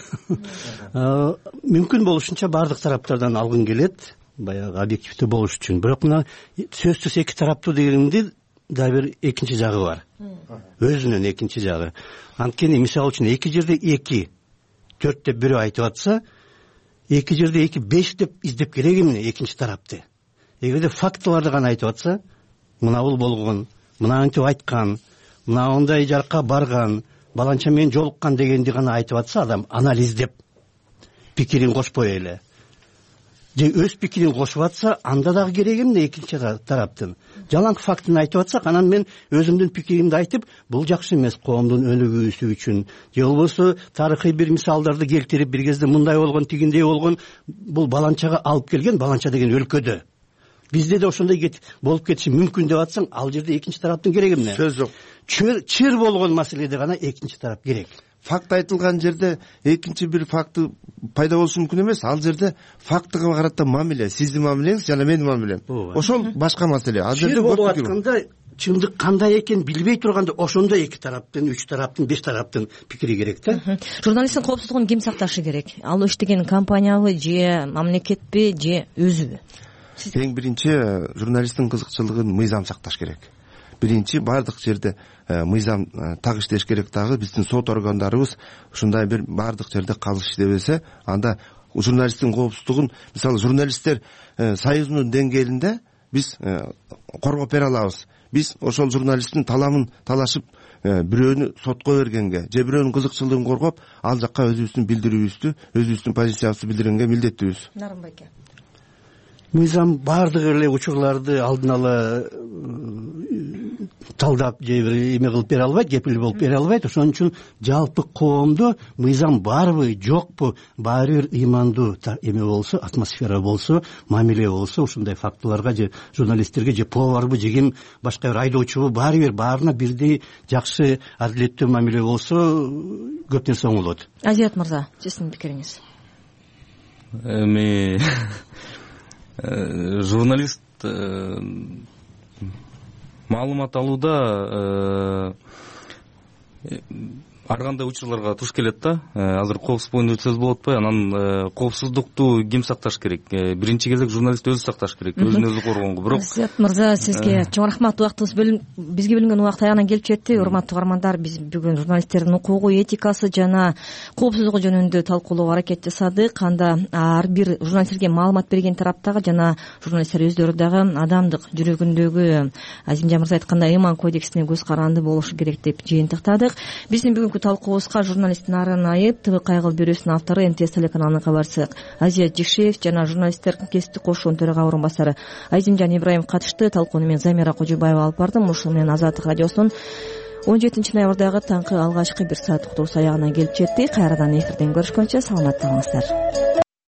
Мүмкүн болушунча баардык тараптардан алгың келет, баягы объективдүү болуш үчүн. Бирок мына сөзсүз эки тараптуу дегенде да бир экинчи жагы бар. Өзүнүн экинчи жагы. Анткени мисалы үчүн эки жерде эки төрт деп бирөө айтып атса, эки жерде эки беш деп издеп керек эмне экинчи тарапты. Эгерде фактыларды гана айтып атса, мына бул болгон, мынантип айткан, мына ондай жарка барган, баланча менен жолуккан дегенди гана айтып атса, адам анализдеп пикирин кошпой эле же өз пикирин кошуп атса, анда дагы керек эмне экинчи тараптын. Жалаң фактын айтып атсак, анан мен өзүмдүн пикиримди айтып, бул жакшы эмес коомдун өнүгүүсү үчүн, же болбосо тарыхый бир мисалдарды келтирип, бир кезде мындай болгон, тигиндей болгон, бул баланчага алып келген, баланча деген өлкөдө. Бизде да ошондой болуп кетиши мүмкүн деп атсаң, ал жерде экинчи тараптын кереги эмне? Сөз жок. Чыр болгон маселеде гана экинчи тарап керек. Факт айтылган жерде экинчи бир факты пайда болушу мүмкүн эмес. Ал жерде фактыга карата мамиле, сиздин мамилеңиз жана менин мамилем. Ошол башка маселе. Ал жерде болуп атканда чындык кандай экенин билбей турганда ошондо эки тараптын үч тараптын беш тараптын пикири керек да. Журналисттин коопсуздугун ким сакташы керек? Ал иштеген компаниябы же мамлекетпи же өзүбү? Эң биринчи журналисттин кызыкчылыгын мыйзам сакташ керек. Биринчи баардык жерде мыйзам так иштеш керек. Дагы биздин сот органдарыбыз ушундай бир баардык жерде калыс иштебесе, анда журналисттин коопсуздугун, мисалы журналисттер союзунун деңгээлинде биз коргоп бере алабыз. Биз ошол журналисттин таламын талашып бирөөнү сотко бергенге же бирөөнүн кызыкчылыгын коргоп, ал жакка өзүбүздүн билдирүүбүздү, өзүбүздүн позициябызды билдиргенге милдеттүүбүз. Нарынбай эке. Мыйзам баардык эле учурларды алдын ала талдап же бир эме кылып бере албайт, кепил болуп бере албайт. Ошон үчүн жалпы коомдо мыйзам барбы, жокпу, баары бир ыймандуу эме болсо, атмосфера болсо, мамиле болсо, ушундай фактыларга же журналисттерге же поварбы, же ким башка бир айдоочубу, баары бир баарына бирдей жакшы, адилеттүү мамиле болсо, көп нерсе оңолот. Азият мырза, сиздин пикириңиз? Эми журналист маалымат алууда ар кандай учурларга туш келет да. Азыр коопсуздук боюнча сөз болуп атпайбы? Анан коопсуздукту ким сакташ керек? Биринчи кезек журналист өзү сакташ керек, өзүн өзү коргонго. Бирок Азият мырза, сизге чоң рахмат. Убактыбыз бизге бөлүнгөн убакыт аягына келип жетти. Урматтуу угармандар, биз бүгүн журналисттердин укугу, этикасы жана коопсуздугу жөнүндө талкуулоого аракет жасадык. Анда ар бир журналисттерге маалымат берген тараптагы жана журналисттер өздөрү дагы адамдык жүрөгүндөгү Азимжан мырза айткандай ыйман кодексине көз каранды болушу керек деп жыйынтыктадык. Биздин бүгүнкү талкуубузга журналист Нарын Айып, Т В Кайгыл бирөөсүнүн автору, Н Т С телеканалынын кабарчысы Азият Жекшеев жана журналисттер кесиптик кошуунун төрага орун басары Азимжан Ибраимов катышты. Талкууну мен Замира Кожубаева алып бардым. Ушул менен Азаттык радиосунун он жетинчи ноябрдагы таңкы алгачкы бир сааттык уктуруусу аягына келип жетти. Кайрадан эфирден көрүшкөнчө саламатта калыңыздар.